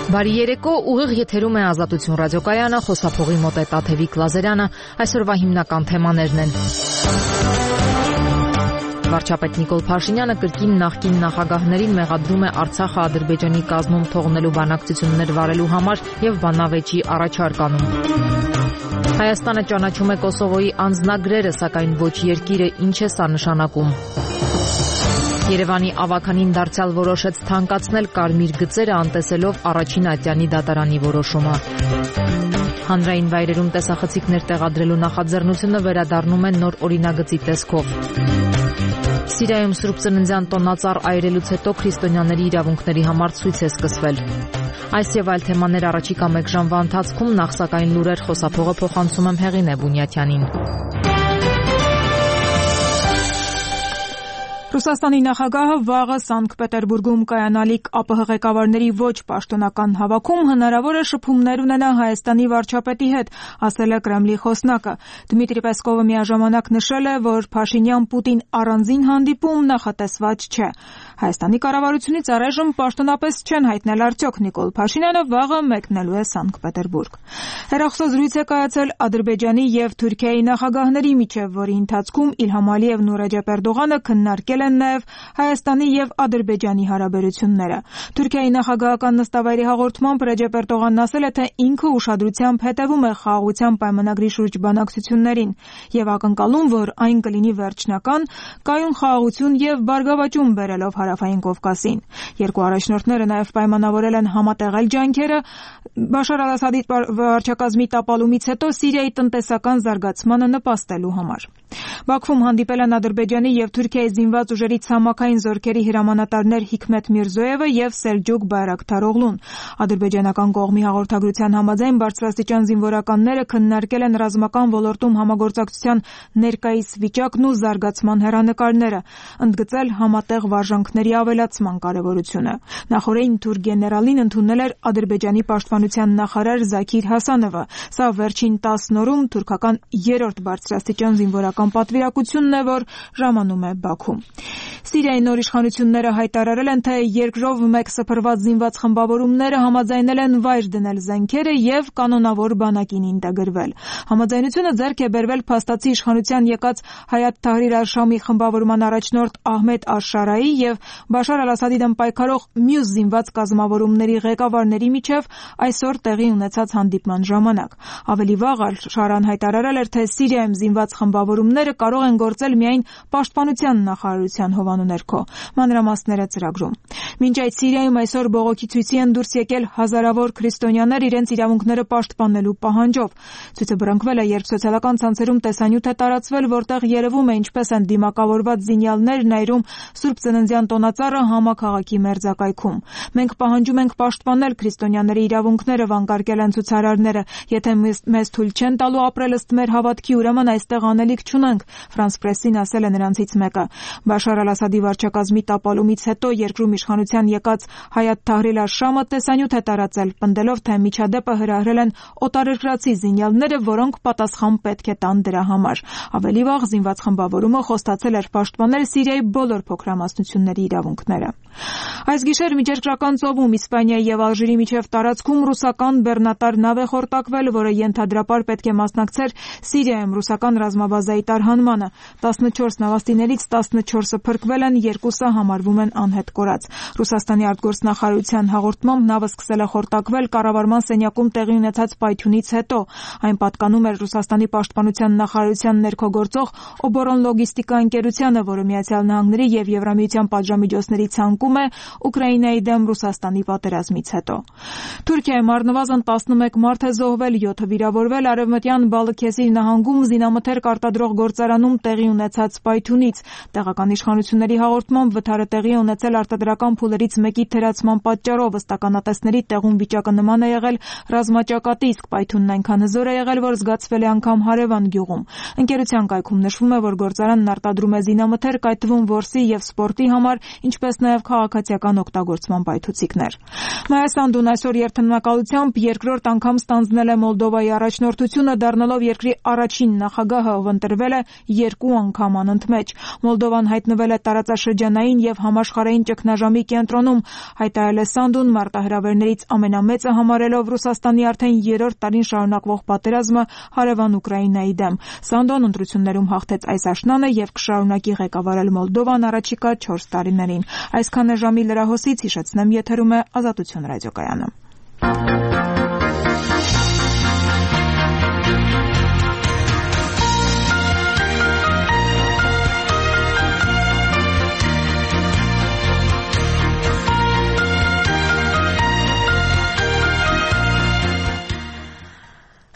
Բարի երեկո, ուղիղ եթերում է Ազատություն ռադիոկայանը, խոսափողի մոտ է Տաթևիկ Լազարյանը, այսօրվա հիմնական թեմաներն են։ Վարչապետ Նիկոլ Փաշինյանը կրկին նախկին նախագահներին մեղադրում է Արցախը Ադրբեջանի կազմում թողնելու բանակցություններ վարելու համար եւ բանավեճի առաջարկ անում։ Հայաստանը ճանաչում է Կոսովոյի անձնագրերը, սակայն ոչ երկիրը, ինչ է սա նշանակում։ Երևանի ավականին դարձյալ որոշեց թանկացնել կարմիր գծերը, անտեսելով առաջին ատյանի դատարանի որոշումը։ Հանրային վայրերում տեսախցիկներ տեղադրելու նախաձեռնությունը վերադառնում է նոր օրինագծի տեսքով։ Սիրիայում Սուրբ Ծննդյան տոնածառ այրելուց հետո քրիստոնյաների իրավունքների համար ցույց է սկսվել։ Այս եւ այլ թեմաներ առաջիկա մեկ ժամվա ընթացքում, նախ սակայն լուրեր, խոսափողը փոխանցում եմ Հեղինե Բունյաթյանին։ Ռուսաստանի նախագահը վաղը Սանկտ Պետերբուրգում կայանալիք ԱՊՀ ղեկավարների ոչ պաշտոնական հավաքում հնարավոր է շփումներ ունենա Հայաստանի վարչապետի հետ, ասել է Կրեմլի խոսնակը։ Դմիտրի Պեսկովը միաժամանակ նշել է, որ Փաշինյան-Պուտին առանձին հանդիպում նախատեսված չէ։ Հայաստանի կառավարությունից առայժմ պաշտոնապես չեն հայտնել արդյոք Նիկոլ Փաշինյանը վաղը մեկնելու է Սանկտ Պետերբուրգ։ Հեռախոսազրույց է կայացել Ադրբեջանի եւ Թուրքիայի նախագահների միջև, որի ընթացքում Իլհամ Ալիևն ու Ռեջեփ Էրդողանը քննարկել են նաև Հայաստանի եւ Ադրբեջանի հարաբերությունները։ Թուրքիայի նախագահական նստավայրի հաղորդմամբ Ռեջեփ Էրդողանն ասել է, թե ինքը ուշադրությամբ հետևում է խաղաղության պայմանագրի շուրջ բանակցություններին եւ ակնկալում, որ այն կլինի վերջնական, կայուն խաղաղություն եւ բարգավաճում բերելով Հարավային Կովկասին։ Երկու առաջնորդները նաև պայմանավորել են համատեղել ջանքերը Բաշար Ալ-Ասադի վարչակազմի տապալումից հետո Սիրիայի տնտեսական զարգացմանը նպաստելու համար։ Բաքվում հանդիպել են Ադրբեջանի եւ Թուրքիայի զինված ուժերի ցամաքային զորքերի հրամանատարներ Հիկմետ Միրզոևը եւ Սելջուկ Բայրակթարօղլուն։ Ադրբեջանական կողմի հաղորդագրության համաձայն բարձրաստիճան զինվորականները քննարկել են ռազմական ոլորտում համագործակցության ներկայիս վիճակն ու զարգացման հեռանկարները, ընդգծել համատեղ վարժանքների ավելացման կարևորությունը։ Նախորդին թուրք գեներալին ընդունել էր Ադրբեջանի պաշտպանության նախարար Զաքիր Հասանովը։ Սա վերջին 10 օրում թուրքական 3-րդ բարձրաստիճան զինվորական պատվիրակությունն է, որ ժամանում է Բաքու։ Սիրիայի նոր իշխանությունները հայտարարել են, թե երկրով մեկ սփռված զինված խմբավորումները համաձայնել են վայր դնել զենքերը եւ կանոնավոր բանակին ինտեգրվել։ Համաձայնությունը ձեռք է բերվել փաստացի իշխանության եկած Հայաթ Թահրիր Ալ-Շամի խմբավորման առաջնորդ Ահմեդ Աշ-Շարայի եւ Բաշար Ալ-Ասադի դեմ պայքարող մյուս զինված կազմավորումների ղեկավարների միջև այսօր տեղի ունեցած հանդիպման ժամանակ։ Ավելի վաղ Ալ-Շարան հայտարարել էր, թե Սիրիայում զինված խմբավորումները կարող են գործել միայն պաշտպանության նախարարության հովանու ներքո։ Մանրամասները ծրագրում։ Մինչ այդ Սիրիայում այսօր բողոքի ցույցի են դուրս եկել հազարավոր քրիստոնյաներ իրենց իրավունքները պաշտպանելու պահանջով։ Ցույցը բռնկվել է, երբ սոցիալական ցանցերում տեսանյութ է տարածվել, որտեղ երևում է ինչպես են դիմակավորված զինյալներ նայրում Սուրբ Ծննդյան տոնածառը համաքաղաքի մերձակայքում։ Մենք պահանջում ենք պաշտպանել քրիստոնյաների իրավունքները, վանկարկել են ցուցարարները։ Եթե մեզ թույլ չեն տալու ապրել ըստ մեր հավատքի, ուրեմն այստեղ անելիք չունենք, Ֆրանս Պրեսին ասել է նրանցից մեկը։ Բաշար Ալ-Ասադի վարչակազմի տապալումից հետո երկրում իշխանության եկած Հայաթ Թահրիր Ալ-Շամը տեսանյութ է տարածել, պնդելով, թե միջադեպը հրահրել են օտարերկրացի զինյալները, որոնք պատասխան պետք է տան դրա համար։ Ավելի վաղ զինված խմբավորումը խոստացել էր պաշտպանել Սիրիայի բոլոր փոքրամասնությունների իրավունքները։ Այս գիշեր Միջերկրական ծովում Իսպանիայի եւ Ալժիրի միջև տարածքում ռուսական բեռնատար նավ է խորտակվել, որը ենթադրաբար պետք է մասնակցեր Սիրիայում ռուսական ռազմաբազայի տարհանմանը։ 14 նավաստիներից 14-ը փրկվել են, 2-ը համարվում են անհետ կորած։ Ռուսաստանի արտգործնախարարության հաղորդմամբ նավը սկսել է խորտակվել կառավարման սենյակում տեղի ունեցած պայթյունից հետո։ Այն պատկանում էր Ռուսաստանի պաշտպանության նախարարության ներքո գործող Օբորոն լոգիստիկա ընկերությանը, որը Միացյալ Նահանգների եւ Եվրամիության պատժամիջոցների ցանկում է Ուկրաինայի դեմ Ռուսաստանի պատերազմից հետո։ Թուրքիայում առնվազն 11 մարդ է զոհվել, 7-ը վիրավորվել արևմտյան Բալաքեսիր նահանգում զինամթերք արտադրող գործարանում տեղի ունեցած պայթյունից։ Տեղական իշխանությունների հաղորդմամբ վթարը տեղի է ունեցել արտադրական փուլերից մեկի թերացման պատճառով, ըստ ականատեսների տեղում վիճակը նման է եղել ռազմաճակատի, իսկ պայթյունն այնքան հզոր է եղել, որ զգացվել է անգամ հարևան գյուղում։ Ընկերության կայքում նշվում է, որ գործարանն արտադրում է զինամթերք, այդ թվում որսի եւ սպորտի համար, ինչպես նաեւ քաղաքացիական ռազմական օգտագործման պայթուցիկներ։ Մայա Սանդուն այսօր երթնակալությամբ երկրորդ անգամ ստանձնել է Մոլդովայի առաջնորդությունը, դառնալով երկրի առաջին նախագահը, ով ընտրվել է 2 անգամ անընդմեջ։ Մոլդովան հայտնվել է տարածաշրջանային եւ համաշխարհային ճգնաժամի կենտրոնում, հայտարարել է Սանդուն մարտահրավերներից ամենամեծը համարելով Ռուսաստանի արդեն 3-րդ տարին շարունակվող պատերազմը հարևան Ուկրաինայի դեմ։ Սանդոն ընտրություններում հաղթեց այս աշնանը եւ կշարունակի ղեկավարել Մոլդովան առաջիկա 4 տարիներին։ Այսքանը ժամի լրահոսից հիշեցնեմ, եթերում է Ազատություն ռադիոկայանը։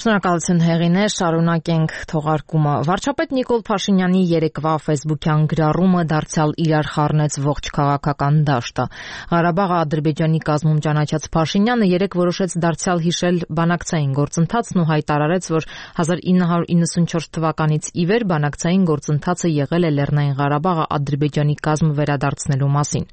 Շնորհակալություն Հեղինե, շարունակենք թողարկումը։ Վարչապետ Նիկոլ Փաշինյանի երեկվա ֆեյսբուքյան գրառումը դարձյալ իրար խառնեց ողջ քաղաքական դաշտը։ Ղարաբաղը Ադրբեջանի կազմում ճանաչած Փաշինյանը երեկ որոշեց դարձյալ հիշել բանակցային գործընթացն ու հայտարարեց, որ 1994 թվականից ի վեր բանակցային գործընթացը եղել է Լեռնային Ղարաբաղը Ադրբեջանի կազմ վերադարձնելու մասին։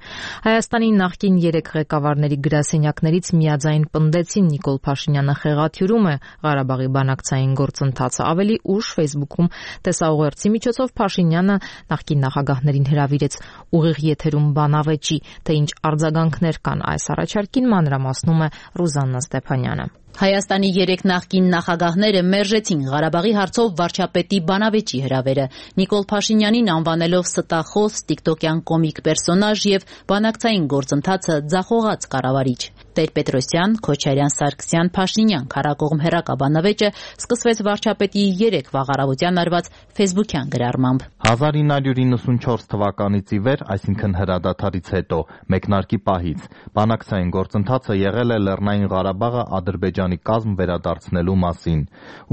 Հայաստանի նախկին 3 ղեկավարների գրասենյակներից միաձայն պնդեցին Նիկոլ Փաշինյանը խեղաթյուրում է Ղարաբաղի բանակցային գործընթացը։ Ավելի ուշ Facebook-ում տեսաուղերձի միջոցով Փաշինյանը նախկին նախագահներին հրավիրեց ուղիղ եթերում բանավեճի, թե ինչ արձագանքներ կան այս առաջարկին, մանրամասնում է Ռուզաննա Ստեփանյանը։ Հայաստանի 3 նախկին նախագահները մերժեցին Ղարաբաղի հարցով վարչապետի բանավեճի հրավերը։ Նիկոլ Փաշինյանին անվանելով ստախոս, տիկտոկյան կոմիկ պերսոնաժ եւ բանակցային գործընթացը ձախողած կառավարիչ։ Տեր-Պետրոսյան, Քոչարյան, Սարգսյան, Փաշինյան քարակողմ հերակաբանավեճը սկսվեց վարչապետի 3 վաղարավության արված ֆեյսբուքյան գրառմամբ։ 1994 թվականից ի վեր, այսինքն հրադադարից հետո, մեկնարկի պահից, բանակցային գործընթացը եղել է Լեռնային Ղարաբաղը Ադրբեջանի կազմ վերադարձնելու մասին։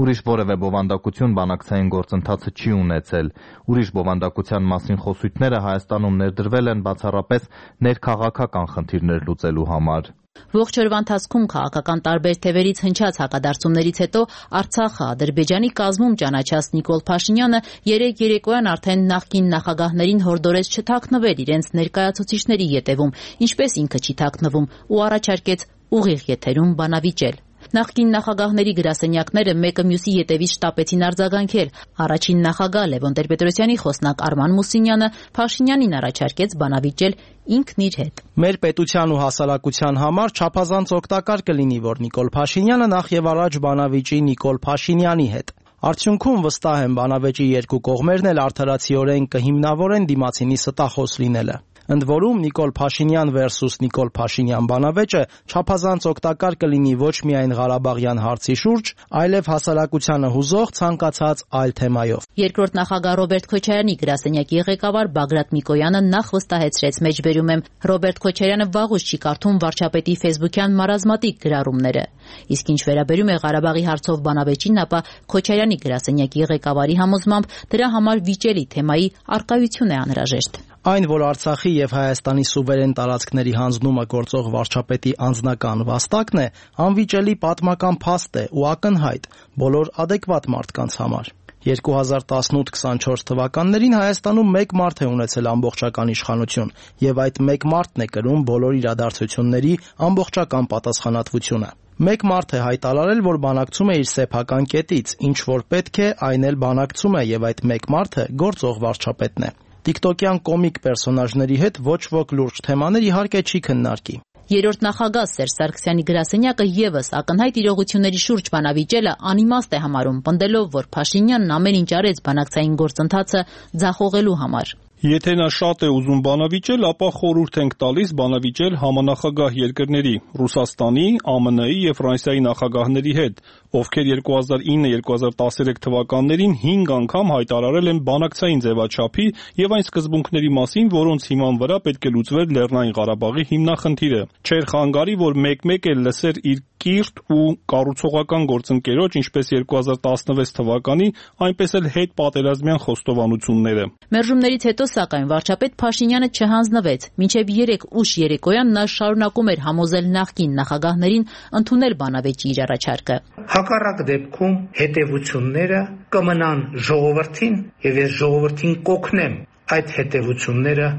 Ուրիշ որևէ բովանդակություն բանակցային գործընթացը չի ունեցել։ Ուրիշ բովանդակության մասին խոսույթները Հայաստանում ներդրվել են բացառապես ներքաղաքական խնդիրներ լուծելու համար։ Ողջ օրվա ընթացքում քաղաքական տարբեր թևերից հնչած հակադարձումներից հետո Արցախը Ադրբեջանի կազմում ճանաչած Նիկոլ Փաշինյանը երեկոյան արդեն նախկին նախագահներին հորդորեց չթաքնվել իրենց ներկայացուցիչների ետևում, ինչպես ինքը չի թաքնվում, ու առաջարկեց ուղիղ եթերում բանավիճել։ Նախկին նախագահների գրասենյակները մեկը մյուսի ետևից շտապեցին արձագանքել։ Առաջին նախագահ Լևոն Տեր-Պետրոսյանի խոսնակ Արման Մուսինյանը Փաշինյանին առաջարկեց բանավիճել ինքն իր հետ։ Մեր պետության ու հասարակության համար չափազանց օգտակար կլինի, որ Նիկոլ Փաշինյանը նախ եւ առաջ բանավիճի Նիկոլ Փաշինյանի հետ։ Արդյունքում վստահ եմ բանավեճի երկու կողմերն էլ արդարացիորեն կհիմնավորեն դիմացինի ստախոս լինելը։ Ընդ որում Նիկոլ Փաշինյան versus Նիկոլ Փաշինյան բանավեճը չափազանց օգտակար կլինի ոչ միայն Ղարաբաղյան հարցի շուրջ, այլև հասարակությանը հուզող ցանկացած այլ թեմայով։ Երկրորդ նախագահ Ռոբերտ Քոչարյանի գրասենյակի ղեկավար Բագրատ Միկոյանը նախ վստահեցրեց, մեջբերում եմ, Ռոբերտ Քոչարյանը վաղուց չի կարդում վարչապետի ֆեյսբուքյան մարազմատիկ գրառումները։ Իսկ ինչ վերաբերում է Ղարաբաղի հարցով բանավեճին, ապա Քոչարյանի գրասենյակի ղեկավարի համոզմամբ դրա համար վիճելի թեմայի առկայություն է անհրաժեշտ։ Այն, որ Արցախի եւ Հայաստանի սուվերեն տարածքների հանձնումը գործող վարչապետի անձնական վաստակն է, անվիճելի պատմական փաստ է ու ակնհայտ բոլոր adekvat մարդկանց համար։ 2018-24 թվականներին Հայաստանում մեկ մարդ է ունեցել ամբողջական իշխանություն, եւ այդ մեկ մարդն է կրում բոլոր իրադարձությունների ամբողջական պատասխանատվությունը։ Մեկ մարդ է հայտարարել, որ բանակցում է իր սեփական կետից, ինչ որ պետք է, այն էլ բանակցում է, եւ այդ մեկ մարդը գործող վարչապետն է։ Տիկտոկյան կոմիկ պերսոնաժների հետ ոչ ոք լուրջ թեմաներ իհարկե չի քննարկի։ Երրորդ նախագահ Սերժ Սարգսյանի գրասենյակը եւս ակնհայտ իրողությունների շուրջ բանավիճելը անիմաստ է համարում, պնդելով, որ Փաշինյանն ամեն ինչ արեց բանակցային գործընթացը ձախողելու համար։ Եթե նա շատ է ուզում բանավիճել, ապա խորհուրդ ենք տալիս բանավիճել համանախագահ երկրների՝ Ռուսաստանի, ԱՄՆ-ի եւ Ֆրանսիայի նախագահների հետ, ովքեր 2009-2013 թվականներին 5 անգամ հայտարարել են բանակցային ձևաչափի եւ այն սկզբունքների մասին, որոնց հիման վրա պետք է լուծվեր Լեռնային Ղարաբաղի հիմնախնդիրը։ Չէր խանգարի, որ մեկ-մեկ էլ լսեր իր կիրթ ու կառուցողական գործընկերոջ, ինչպես 2016 թվականի, այնպես էլ հետ պատերազմյան խոստովանությունները։ Մերժումներից հետո, սակայն, վարչապետ Փաշինյանը չհանձնվեց։ Մինչև 3 ուշ երեկոյան նա շարունակում էր համոզել նախկին նախագահներին ընդունել բանավեճի իր առաջարկը։ Հակառակ դեպքում հետևությունները կմնան ժողովրդին, եւ ես ժողովրդին կօգնեմ այդ հետևությունները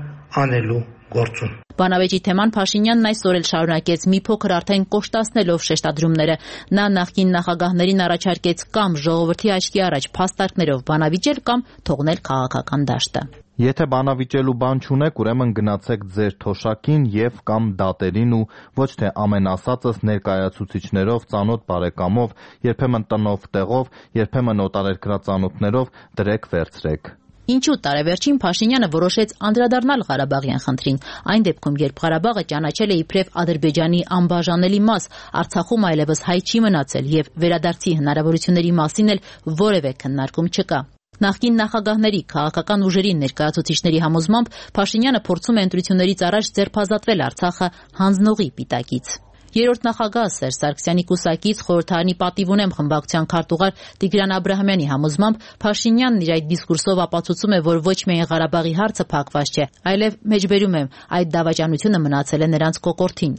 անելու գործում։ Բանավեճի թեման Փաշինյանն այսօր էլ շարունակեց մի փոքր արդեն կոշտացնելով շեշտադրումները։ Նա նախկին նախագահներին առաջարկեց կամ ժողովրդի աչքի առաջ փաստարկներով բանավիճել կամ թողնել քաղաքական դաշտը։ Եթե բանավիճելու բան չունեք, ուրեմն գնացեք ձեր թոշակին եւ կամ դատերին ու ոչ թե ամեն ասածս ներկայացուցիչներով, ծանոթ բարեկամով, երբեմն տնով տեղով, երբեմն օտարերկրածանոթներով դրեք վերցրեք։ Ինչու տարեվերջին Փաշինյանը որոշեց անդրադառնալ Ղարաբաղյան խնդրին։ Այն դեպքում, երբ Ղարաբաղը ճանաչել է իբրև Ադրբեջանի անբաժանելի մաս, Արցախում այլևս հայ չի մնացել եւ վերադարձի հնարավորությունների մասին էլ որևէ քննարկում չկա։ Նախկին նախագահների, քաղաքական ուժերի ներկայացուցիչների համոզմամբ Փաշինյանը փորձում է ընտրություններից առաջ ձերբազատվել Արցախը հանձնողի պիտակից։ Երրորդ նախագահ Սերժ Սարգսյանի կուսակից խորհրդարանի պատիվ ունեմ խմբակցության քարտուղար Տիգրան Աբրահամյանի համոզմամբ Փաշինյանն իր այդ դիսկուրսով ապացուցում է, որ ոչ միայն Ղարաբաղի հարցը փակված չէ, այլև մեջբերում է այդ դավաճանությունը մնացել է նրանց կոկորդին։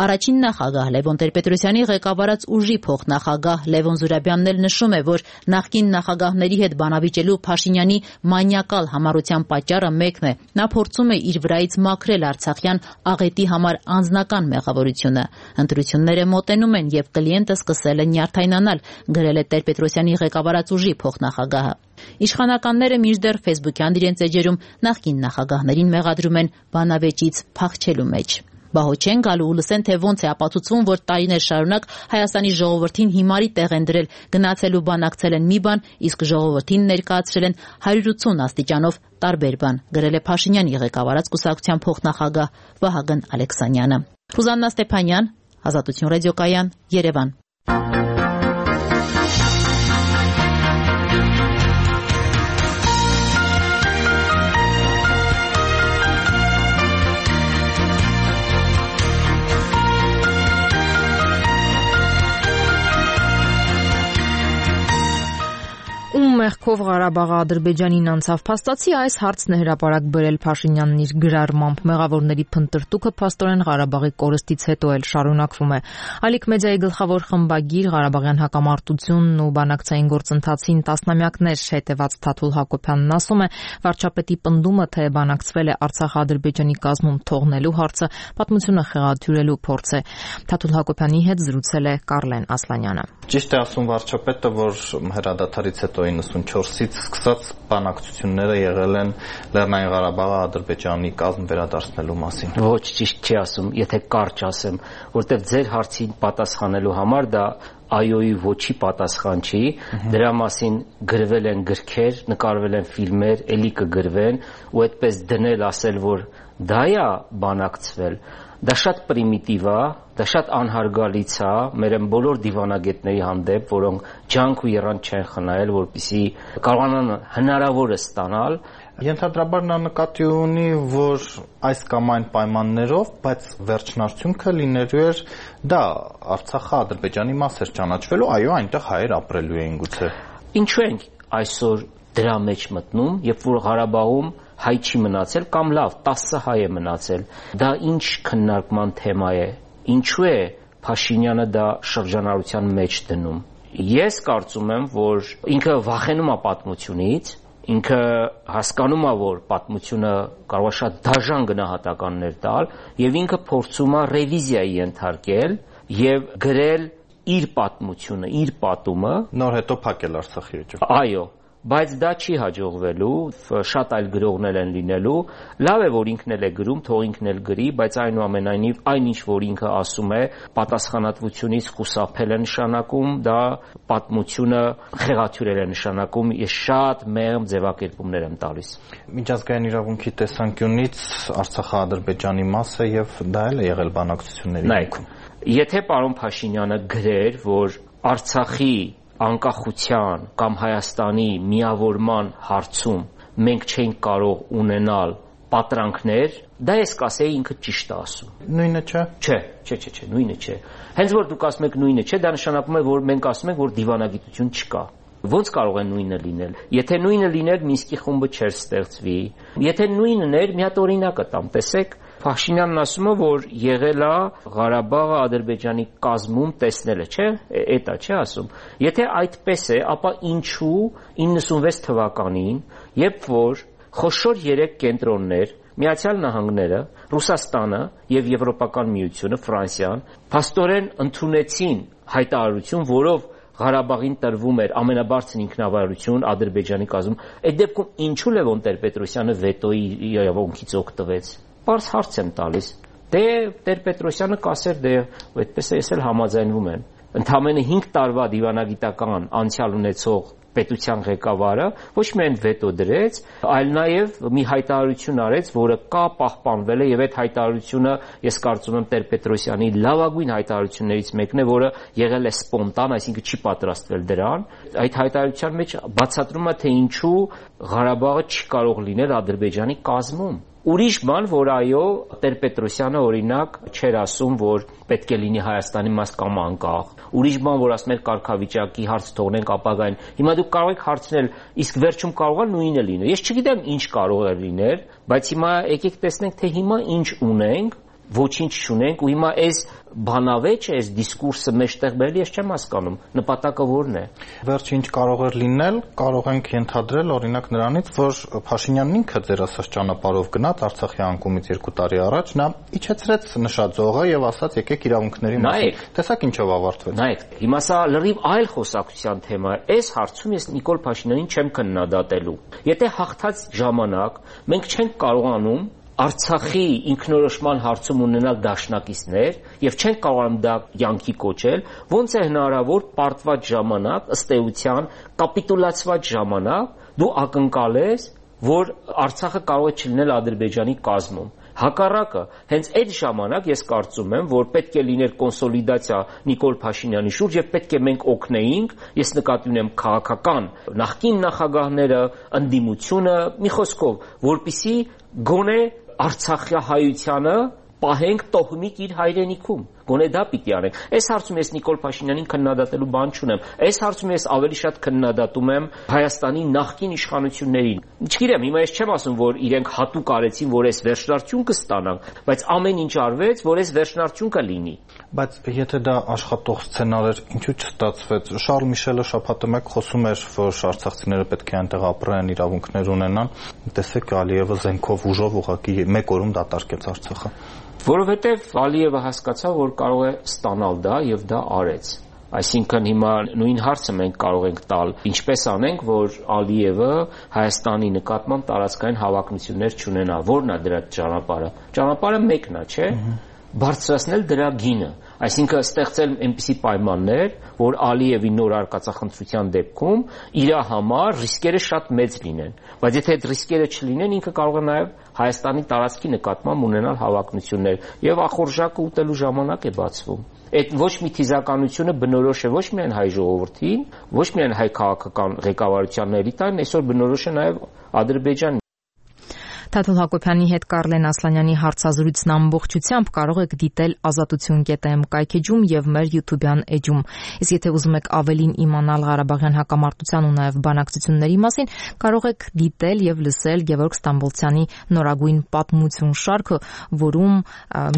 Առաջին նախագահ Լևոն Տեր-Պետրոսյանի ղեկավարած ուժի փոխնախագահ Լևոն Զուրաբյանն էլ նշում է, որ նախկին նախագահների հետ բանավիճելու Փաշինյանի մանյակալ համառության պատճառը մեկն է։ Նա փորձում է իր վրայից մաքրել արցախյան աղետի համար անձնական մեղավորությունը։ Ընտրությունները մոտենում են եւ կլիենտը սկսել է նյարդայնանալ, գրել է Տեր-Պետրոսյանի ղեկավարած ուժի փոխնախագահը։ Իշխանականները մինչդեռ ֆեյսբուքյան իրենց էջերում նախկին նախագահներին մեղադրում են բանավեճից փախչելու մեջ։ Բահոչեն գալու ու լսեն, թե ոնց է ապացուցվում, որ տարիներ շարունակ Հայաստանի ժողովրդին հիմարի տեղ են դրել, գնացել ու բանակցել են մի բան, իսկ ժողովրդին ներկայացրել են 180 աստիճանով տարբեր բան, գրել է Փաշինյանի ղեկավարած կուսակցության փոխնախագահ Վահագն Ալեքսանյանը։ Ռուզաննա Ստեփանյան, Ազատություն ռադիոկայան, Երևան։ Մեղքով Ղարաբաղը Ադրբեջանին անցավ փաստացի այս հարցն է հրապարակ բերել Փաշինյանն իր գրառմամբ։ Մեղավորների փնտրտուքը փաստորեն Ղարաբաղի կորստից հետո էլ շարունակվում է։ Ալիք մեդիայի գլխավոր խմբագիր Ղարաբաղյան հակամարտությունն ու բանակցային գործընթացին տասնամյակներ հետևած Թաթուլ Հակոբյանն ասում է, վարչապետի պնդումը, թե բանակցվել է Արցախը Ադրբեջանի կազմում թողնելու հարցը, պատմությունը խեղաթյուրելու փորձ է։ Թաթուլ Հակոբյանի հետ զրուցել է Կարլեն Ասլանյանը։ Ճիշտ է ասում վարչապետը, որ հրադադարից հետո 94-ից սկսած բանակցությունները եղել են Լեռնային Ղարաբաղը Ադրբեջանի կազմ վերադարձնելու մասին։ Ոչ, ճիշտ չի ասում, եթե կարճ ասեմ, որտեղ ձեր հարցին պատասխանելու համար դա այոյի ոչի պատասխան չի, դրա մասին գրվել են գրքեր, նկարվել են ֆիլմեր, էլի կգրվեն, ու այդպես դնել ասել, որ դա է բանակցվել, դա շատ պրիմիտիվ է, դա շատ անհարգալից է մեր բոլոր դիվանագետների հանդեպ, որոնք ջանք ու եռանդ չեն խնայել, որպեսզի կարողանան հնարավորը ստանալ։ Ենթադրաբար նա նկատի ունի, որ այս կամ այն պայմաններով, բայց վերջնարդյունքը լինելու էր դա Արցախը Ադրբեջանի մաս էր ճանաչվելու, այո, այնտեղ հայեր ապրելու էին գուցե։ Ինչու ենք այսօր դրա մեջ մտնում, երբ որ Ղարաբաղում հայ չի մնացել կամ լավ 10 հայ է մնացել, դա ինչ քննարկման թեմա է, ինչու է Փաշինյանը դա շրջանառության մեջ դնում։ Ես կարծում եմ, որ ինքը վախենում է պատմությունից, ինքը հասկանում է, որ պատմությունը կարող է շատ դաժան գնահատականներ տալ, եւ ինքը փորձում է ռևիզիայի ենթարկել եւ գրել իր պատմությունը, իր պատումը, նոր հետո փակել Արցախի էջը։ Այո, բայց դա չի հաջողվելու, շատ այլ գրողներ են լինելու, լավ է, որ ինքն էլ է գրում, թող ինքն էլ գրի, բայց այնուամենայնիվ այն ինչ որ ինքը ասում է, պատասխանատվությունից խուսափել է նշանակում, դա պատմությունը խեղաթյուրել է նշանակում, ես շատ մեղմ ձևակերպումներ եմ տալիս։ Միջազգային իրավունքի տեսանկյունից Արցախը Ադրբեջանի մաս է եւ դա էլ է եղել բանակցությունների ներքո։ Եթե պարոն Փաշինյանը գրեր, որ Արցախի անկախության կամ Հայաստանի միավորման հարցում մենք չենք կարող ունենալ պատրանքներ, դա ես կասեի ինքը ճիշտ է ասում։ Նույնը չէ։ Չէ, նույնը չէ։ Հենց որ դուք ասում եք նույնը չէ, դա նշանակում է, որ մենք ասում ենք, որ դիվանագիտություն չկա։ Ոնց կարող է նույնը լինել։ Եթե նույնը լիներ, Մինսկի խումբը չէր ստեղծվի։ Եթե նույնն էր, մի հատ օրինակ տամ, տեսեք, Փաշինյանն ասում է, որ եղել է Ղարաբաղը Ադրբեջանի կազմում տեսնելը, չէ՞, էտա չէ ասում։ Եթե այդպես է, ապա ինչու 96 թվականին, երբ որ խոշոր 3 կենտրոններ, Միացյալ Նահանգները, Ռուսաստանը եւ Եվրոպական միությունը, Ֆրանսիան, փաստորեն ընդունեցին հայտարարություն, որով Ղարաբաղին տրվում էր ամենաբարձր ինքնավարություն Ադրբեջանի կազմում։ Այդ դեպքում ինչու Լևոն Տեր-Պետրոսյանը վետոյի իրավունքից օգտվեց։ Պարզ հարց եմ տալիս։ Դե Տեր-Պետրոսյանը կասեր, դե այդպես է, ես էլ համաձայնվում եմ։ Ընդամենը 5 տարվա դիվանագիտական անցյալ ունեցող պետության ղեկավարը ոչ միայն վետո դրեց, այլ նաև մի հայտարարություն արեց, որը կա պահպանվել է, եւ այդ հայտարարությունը ես կարծում եմ Տեր-Պետրոսյանի լավագույն հայտարարություններից մեկն է, որը եղել է սպոնտան, այսինքն չի պատրաստվել դրան։ Այդ հայտարարության մեջ բացատրում է, թե ինչու Ղարաբաղը չի կարող լինել Ադրբեջանի կազմում։ Ուրիշ բան, որ այո, Տեր-Պետրոսյանը օրինակ չէր ասում, որ պետք է լինի Հայաստանի մաս կամ անկախ։ Ուրիշ բան, որ ասում էր կարգավիճակի հարց թողնենք ապագային։ Հիմա դուք կարող եք հարցնել, իսկ վերջում կարող է նույնը լինել։ Ես չգիտեմ ինչ կարող է լինել, բայց հիմա եկեք տեսնենք, թե հիմա ինչ ունենք, ոչինչ չունենք, ու հիմա այս բանավեճը, այս դիսկուրսը մեջտեղ բերել, ես չեմ հասկանում, նպատակը որն է։ Վերջ ինչ կարող էր լինել, կարող ենք ենթադրել օրինակ նրանից, որ Փաշինյանն ինքը ձեր ասած ճանապարհով գնաց Արցախի անկումից 2 տարի առաջ, նա իջեցրեց նշաձողը եւ ասաց եկեք իրավունքների մասին։ Տեսակ ինչով ավարտվեց։ Նայեք, հիմա սա լրիվ այլ խոսակցության թեմա է։ Այս հարցում ես Նիկոլ Փաշինյանին չեմ քննադատելու։ Եթե հաղթած ժամանակ մենք չենք կարողանում Արցախի ինքնորոշման հարցում ունենալ դաշնակիցներ եւ չեն կարողանում դա յանքի կոչել, ոնց է հնարավոր պարտված ժամանակ, ըստ էության կապիտուլացված ժամանակ դու ակնկալես, որ Արցախը կարող է չլինել Ադրբեջանի կազմում։ Հակառակը, հենց այդ ժամանակ ես կարծում եմ, որ պետք է լիներ կոնսոլիդացիա Նիկոլ Փաշինյանի շուրջ եւ պետք է մենք օգնեինք, ես նկատի ունեմ քաղաքական նախկին նախագահները, ընդդիմությունը, մի խոսքով, որպիսի գոնե Արցախահայությանը պահենք տոհմիկ իր հայրենիքում։ Գոնե դա պիտի անենք։ Այս հարցում ես Նիկոլ Փաշինյանին քննադատելու բան չունեմ։ Այս հարցում ես ավելի շատ քննադատում եմ Հայաստանի նախկին իշխանություններին։ Չգիտեմ, հիմա ես չեմ ասում, որ իրենք հատուկ արեցին, որ այս վերջնարդյունքը ստանանք, բայց ամեն ինչ արվեց, որ այս վերջնարդյունքը լինի։ Բայց եթե դա աշխատող սցենար էր, ինչու չստացվեց։ Շարլ Միշելը շաբաթը մեկ խոսում էր, որ արցախցիները պետք է այնտեղ ապրեն, իրավունքներ ունենան։ Տեսեք, Ալիևը զենքով ուժով ուղղակի մեկ օրում դատարկեց Արցախը։ Որովհետև Ալիևը հասկացավ, որ կարող է ստանալ դա եւ դա արեց։ Այսինքն հիմա նույն հարցը մենք կարող ենք տալ, ինչպես անենք, որ Ալիևը Հայաստանի նկատմամբ տարածքային հավակնություններ չունենա։ Որն է դրա ճանապարհը։ Ճանապարհը մեկն է, չէ՞։ Բարձրացնել դրա գինը, այսինքն ստեղծել այնպիսի պայմաններ, որ Ալիևի նոր արկածախնդրության դեպքում իր համար ռիսկերը շատ մեծ լինեն, բայց եթե այդ ռիսկերը չլինեն, ինքը կարող է նաև Հայաստանի տարածքի նկատմամբ ունենալ հավակնություններ եւ ախորժակը ուտելու ժամանակ է բացվում։ Այդ ոչ մի թիզականությունը բնորոշ է ոչ միայն հայ ժողովրդին, ոչ միայն հայ քաղաքական ղեկավարության էլիտային, այսօր բնորոշ է նաև Ադրբեջանին։ Թաթուլ Հակոբյանի հետ Կարլեն Ասլանյանի հարցազրույցն ամբողջությամբ կարող եք դիտել azatutun.am կայքեջում եւ մեր YouTube-յան էջում։ Իսկ եթե ուզում եք ավելին իմանալ Ղարաբաղյան հակամարտության ու նաեւ բանակցությունների մասին, կարող եք դիտել եւ լսել Գևորգ Ստամբոլցյանի նորագույն պատմություն շարքը, որում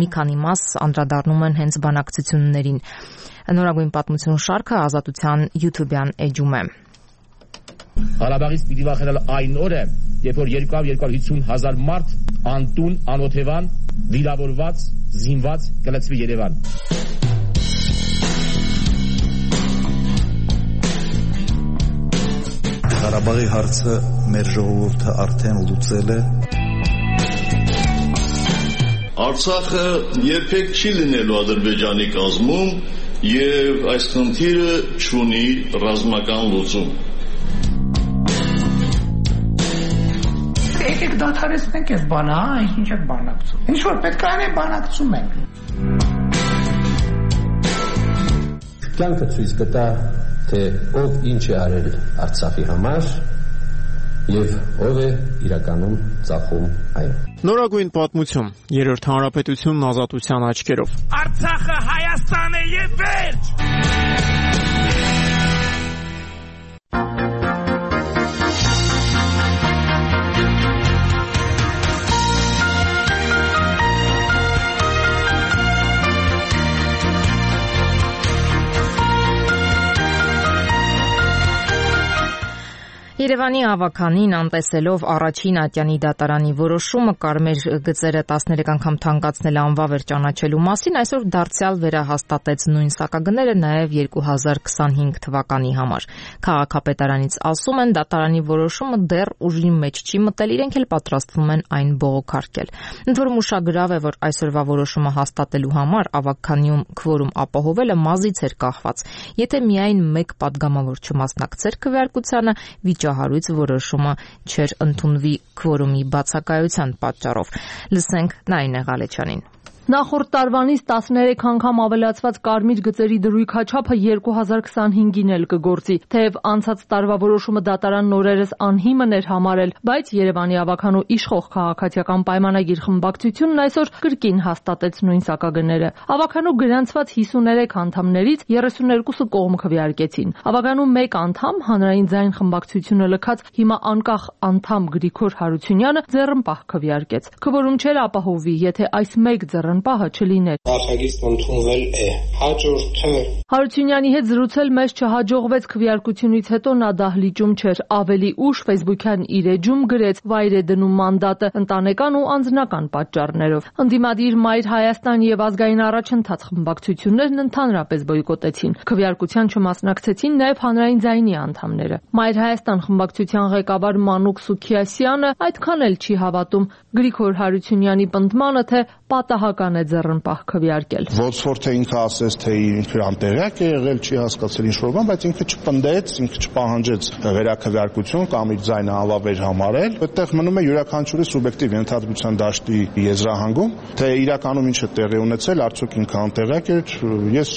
մի քանի մաս անդրադառնում են հենց բանակցություններին։ Նորագույն պատմություն շարքը Ազատության YouTube-յան էջում է։ Ղարաբաղից պիտի վախենալ այն օրը, երբ որ 250,000 մարդ անտուն, անօթևան, վիրավորված, զինված կլցվի Երևան։ Ղարաբաղի հարցը մեր ժողովուրդը արդեն լուծել է։ Արցախը երբեք չի լինելու Ադրբեջանի կազմում եւ այս խնդիրը չունի ռազմական լուծում։ Եկեք դադարեցնենք այս բանը, ինչ եք բանակցում։ Ինչ որ պետք է անենք, բանակցում ենք։ Կյանքը ցույց կտա, թե ով ինչ է արել Արցախի համար եւ ով է իրականում ծախում այն։ Նորագույն պատմություն, Երրորդ հանրապետությունն ազատության աչքերով։ Արցախը Հայաստան է եւ վերջ։ Երևանի ավականին անտեսելով առաջին ատյանի դատարանի որոշումը կարմիր գծերը 13 անգամ թանկացնել անվավեր ճանաչելու մասին այսօր դարձյալ վերահաստատեց նույն սակագները նաև 2025 թվականի համար։ Քաղաքապետարանից ասում են դատարանի որոշումը դեռ ուժի մեջ չի մտել, իրենք էլ պատրաստվում են այն բողոքարկել։ Ընդ որում ուշագրավ է, որ այսօրվա որոշումը հաստատելու համար ավականիում քվորում ապահովելը մազից էր կախված։ Եթե միայն մեկ պատգամավոր չմասնակցեր քվեարկությանը, վիճահարույց որոշումը չէր ընդունվի քվորումի բացակայության պատճառով։ Լսենք Նայինե Ղալեչյանին։ Նախորդ տարվանից 13 անգամ ավելացված կարմիր գծերի դրույքաչափը 2025-ին էլ կգործի, թեև անցած տարվա որոշումը դատարանն օրերս անհիմն էր համարել, բայց Երևանի ավականու իշխող քաղաքացիական պայմանագիր խմբակցությունն այսօր կրկին հաստատեց նույն սակագները։ Ավականու գրանցված 53 անդամներից 32-ը կողմ քվեարկեցին։ Ավականու մեկ անդամ հանրային ձայն խմբակցությունը լքած հիմա անկախ անդամ Գրիգոր Հարությունյանը ձեռնպահ քվեարկեց։ Քվորում չէր ապահովվի, եթե այս մեկ պահը չլիներ։ Նախագիծն ընդունվել է։ Հաջորդը Հարությունյանի հետ զրուցել մեզ չհաջողվեց քվեարկությունից հետո նա դահլիճում չէր, ավելի ուշ Facebook-յան իր էջում գրեց վայր է դնում մանդատը ընտանեկան ու անձնական պատճառներով։ Ընդդիմադիր Մայր Հայաստան եւ ազգային առաջընթաց խմբակցություններն ընդհանրապես բոյկոտեցին։ Քվեարկության չմասնակցեցին նաեւ հանրային ձայնի անդամները։ Մայր Հայաստան խմբակցության ղեկավար Մանուկ Սուքիասյանը այդքան էլ չի հավատում Գրիգոր Հարությունյանի պնդմանը, թե պատահական է ձեռնպահ քվեարկել։ Ոչ որ թե ինքը ասես, թե ինքը անտեղյակ է եղել, չի հասկացել ինչ-որ բան, բայց ինքը չպնդեց, ինքը չպահանջեց վերաքվեարկություն կամ իր ձայնը անվավեր համարել։ Այդտեղ մնում է յուրաքանչյուրի սուբյեկտիվ ենթադրության դաշտի եզրահանգում, թե իրականում ինչ է տեղի ունեցել, արդյոք ինքը անտեղյակ է, ես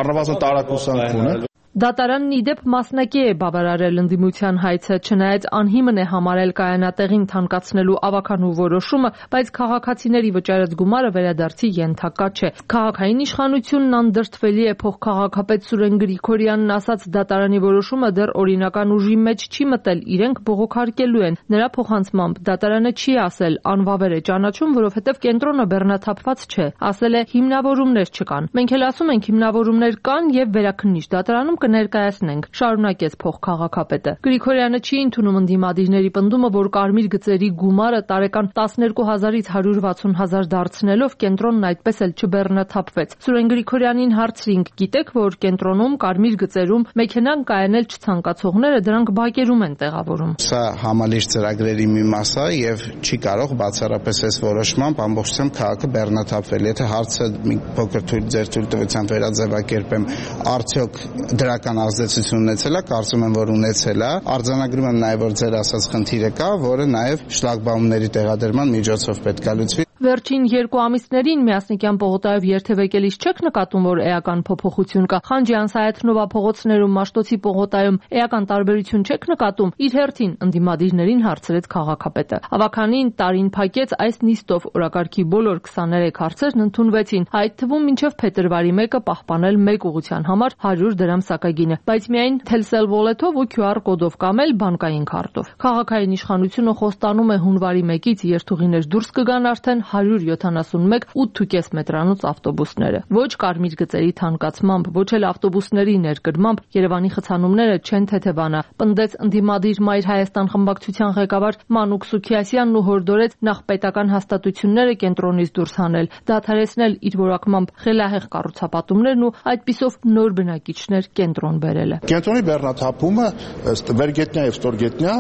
առնվազն տարակուսանք ունեմ։ Դատարանն ի դեպ մասնակի է բավարարել ընդդիմության հայցը, չնայած անհիմն է համարել կայանատեղին թանկացնելու ավականու որոշումը, բայց քաղաքացիների վճարած գումարը վերադարձի ենթակա չէ։ Քաղաքային իշխանությունն անդրդվելի է փոխքաղաքապետ Սուրեն Գրիգորյանն ասաց դատարանի որոշումը դեռ օրինական ուժի մեջ չի մտել, իրենք բողոքարկելու են։ Նրա փոխանցմամբ դատարանը չի ասել անվավեր է ճանաչում, որովհետև կենտրոնը բեռնաթափված չէ, ասել է հիմնավորումներ չկան։ Մենք էլ ասում ենք հիմնավորումներ կան եւ վերաքննիչ դատարանում կներկայացնենք, շարունակեց փոխքաղաքապետը։ Գրիգորյանը չի ընդունում ընդդիմադիրների պնդումը, որ կարմիր գծերի գումարը տարեկան 12000-ից 160,000 դարձնելով կենտրոնն այդպես էլ չբեռնաթափվեց։ Սուրեն Գրիգորյանին հարցրինք, գիտեք, որ կենտրոնում կարմիր գծերում մեքենան կայանել չցանկացողները դրանք բակերում են տեղավորում։ Սա համալիր ծրագրերի մի մաս է եւ չի կարող բացառապես այս որոշմամբ ամբողջությամբ քաղաքը բեռնաթափվել։ Եթե հարցը մի փոքր ձեր թույլտվությամբ վերաձևակերպեմ, արդյոք դրական ազդեցություն ունեցել է, կարծում եմ, որ ունեցել է։ Արձանագրում եմ նաև, որ ձեր ասած խնդիրը կա, որը նաև շլագբաումների տեղադրման միջոցով պետք է լուծվի։ Վերջին 2 ամիսներին Միասնիկյան պողոտայով երթևեկելիս չեք նկատում, որ էական փոփոխություն կա։ Խանջյան-Սայաթ-Նովա փողոցներում, Մաշտոցի պողոտայում էական տարբերություն չեք նկատում։ Իր հերթին ընդդիմադիրներին հարցրեց քաղաքապետը։ Ավականին տարին փակեց այս նիստով օրակարգի բոլոր 23 հարցերն ընդունվեցին, այդ թվում մինչև փետրվարի 1-ը պահպանել մեկ ուղղության համար 100 դրամ սակագինը, բայց միայն Telcel Wallet-ով ու QR կոդով կամ էլ բանկային քարտով։ Քաղաքային իշխանությունը խոստանում է հունվարի 1-ից երթուղիներ դուրս կգան արդեն 171 8.5 մետրանոց ավտոբուսները։ Ոչ կարմիր գծերի թանկացմամբ, ոչ էլ ավտոբուսների ներկրմամբ Երևանի խցանումները չեն թեթևանա, պնդեց ընդդիմադիր Մայր Հայաստան խմբակցության ղեկավար Մանուկ Սուքիասյանն ու հորդորեց նախ պետական հաստատությունները կենտրոնից դուրս հանել, դադարեցնել իր որակմամբ խելահեղ կառուցապատումներն ու այդպիսով նոր բնակիչներ կենտրոն բերելը։ Կենտրոնի բեռնաթափումը ըստ վերգետնյա եւ ստորգետնյա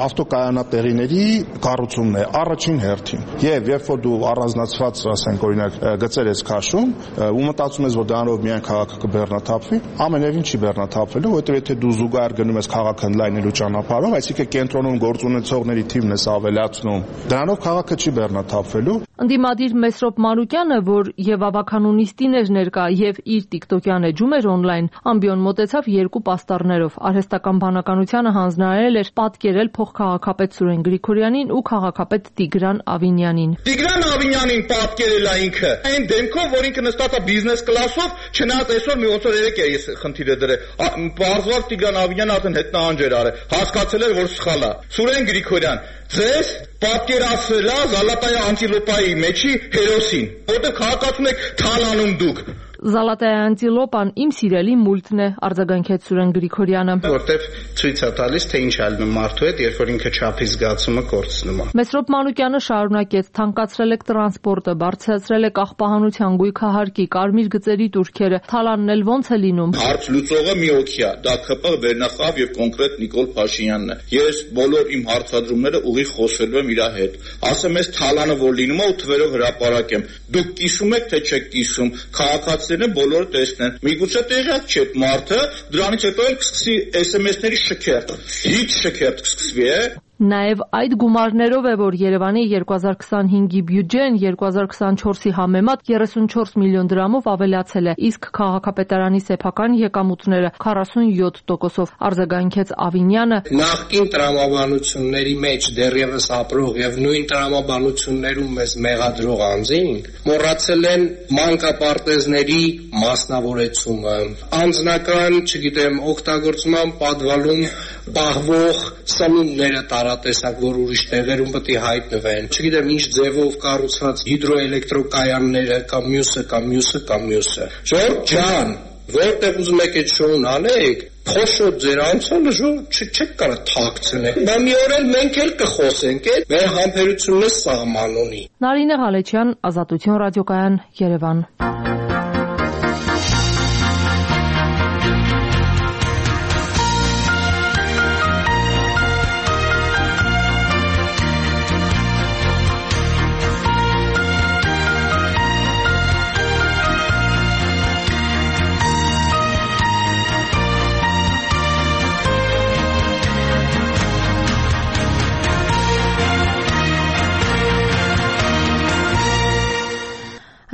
ավտոկայանատեղիների կառուցումն է առաջին հերթին։ Եվ երբ որ դու առանձնացված, ասենք օրինակ, գծեր ես քաշում ու մտածում ես, որ դրանով միայն քաղաքը կբեռնաթափվի, ամենևին չի բեռնաթափվելու, որովհետեւ եթե դու զուգահեռ գնում ես քաղաքը ընդլայնելու ճանապարհով, այսինքն կենտրոնում գործ ունեցողների թիվն ես ավելացնում, դրանով քաղաքը չի բեռնաթափվելու։ Ընդդիմադիր Մեսրոպ Մանուկյանը, որ եւ ավականունիստին էր ներկա եւ իր TikTok-յան էջում էր on-line, ամբիոն մոտեցավ 2 պաստառներով։ Արհեստական բանականությանը հանձնարարել էր պատկերել փոխքաղաքապետ Սուրեն Գրիգորյանին ու քաղաքապետ Տիգրան Ավինյանին։ Տիգրան Ավինյանին պատկերել է ինքը այն դեմքով, որ ինքը նստած է բիզնես կլասով, չնայած այսօր մի 8-3 է ես խնդիրը դրել։ Բարձրացավ Տիգրան Ավինյանը արդեն հետնահանջ էր արել, հասկացել էր, որ սխալ է։ Սուրեն Գրիգորյան, ձեզ պատկերացրել է Զալատայա անտիլոպայի մեջի հերոսին, որտեղ քաղաքացուն եք թալանում դուք։ Զալատայա անտիլոպան իմ սիրելի մուլտն է, արձագանքեց Սուրեն Գրիգորյանը։ Որտեվ ցույց է տալիս, թե ինչ է լինում մարդու հետ, երբ որ ինքը չափի զգացումը կորցնում է։ Մեսրոպ Մանուկյանը շարունակեց. թանկացրել եք տրանսպորտը, բարձրացրել եք աղբահանության գույքահարկի, կարմիր գծերի տուրքերը, թալանն էլ ոնց է լինում։ Հարց լուծողը մի օքի է, դա ԿՊ վերնախավ եւ կոնկրետ Նիկոլ Փաշինյանն է։ Ես բոլոր իմ հարցադրումները ուղիղ խոսելու եմ իր հետ։ Ասեմ, ես թալանը որ լինում է ու թվերով հրապարակեմ։ Դուք կիսում եք, թե չեք կիսում, քաղաքացիներն բոլորը տեսնեն։ Միգուցե տեղյակ չէ այդ մարդը, դրանից հետո էլ կսկսի SMS-ների շքերթ։ Հիչ շքերթ կսկսվի, Նաև այդ գումարներով է, որ Երևանի 2025-ի բյուջեն 2024-ի համեմատ 34 միլիոն դրամով ավելացել է, իսկ քաղաքապետարանի սեփական եկամուտները 47%-ով, արձագանքեց Ավինյանը։ Նախկին տրամաբանությունների մեջ դեռևս ապրող եւ նույն տրամաբանություններում մեզ մեղադրող անձինք մոռացել են մանկապարտեզների մասնավորեցումը, անձնական, օգտագործման պատվալում պահվող սնունդները տարատեսակ, որ ուրիշ տեղերում պետք է հայտնվեն։ Չգիտեմ ինչ ձևով կառուցված հիդրոէլեկտրոկայանները կամ մյուսը։ Ժորժ ջան, որտեղ ուզում եք այդ շոուն անեք, փոշոտ ձեր անցյալը չեք կարող թաքցնել։ Բա մի օր էլ մենք էլ կխոսենք, մեր համբերությունն է սահման ունի։ Նարինե Ղալեչյան, Ազատություն ռադիոկայան, Երևան։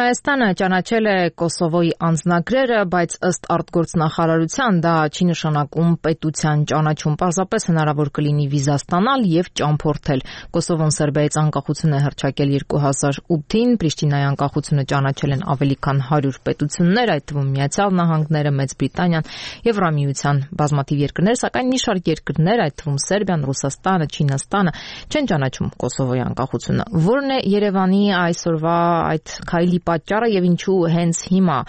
Հայաստանը ճանաչել է Կոսովոյի անձնագրերը, բայց ըստ արտգործնախարարության դա չի նշանակում պետության ճանաչում, պարզապես հնարավոր կլինի վիզա ստանալ եւ ճամփորդել։ Կոսովոն Սերբիայից անկախություն է հռչակել 2008-ին, Պրիշտինայի անկախությունը ճանաչել են ավելի քան 100 պետություններ, այդ թվում Միացյալ Նահանգները, Մեծ Բրիտանիան, Եվրամիության բազմաթիվ երկրներ, սակայն մի շարք երկրներ, այդ թվում Սերբիան, Ռուսաստանը, Չինաստանը, չեն ճանաչում Կոսովոյի անկախությունը։ Որն է Երևանի այսօրվա այդ քայլի պատճառը եւ ինչու հենց հիմա?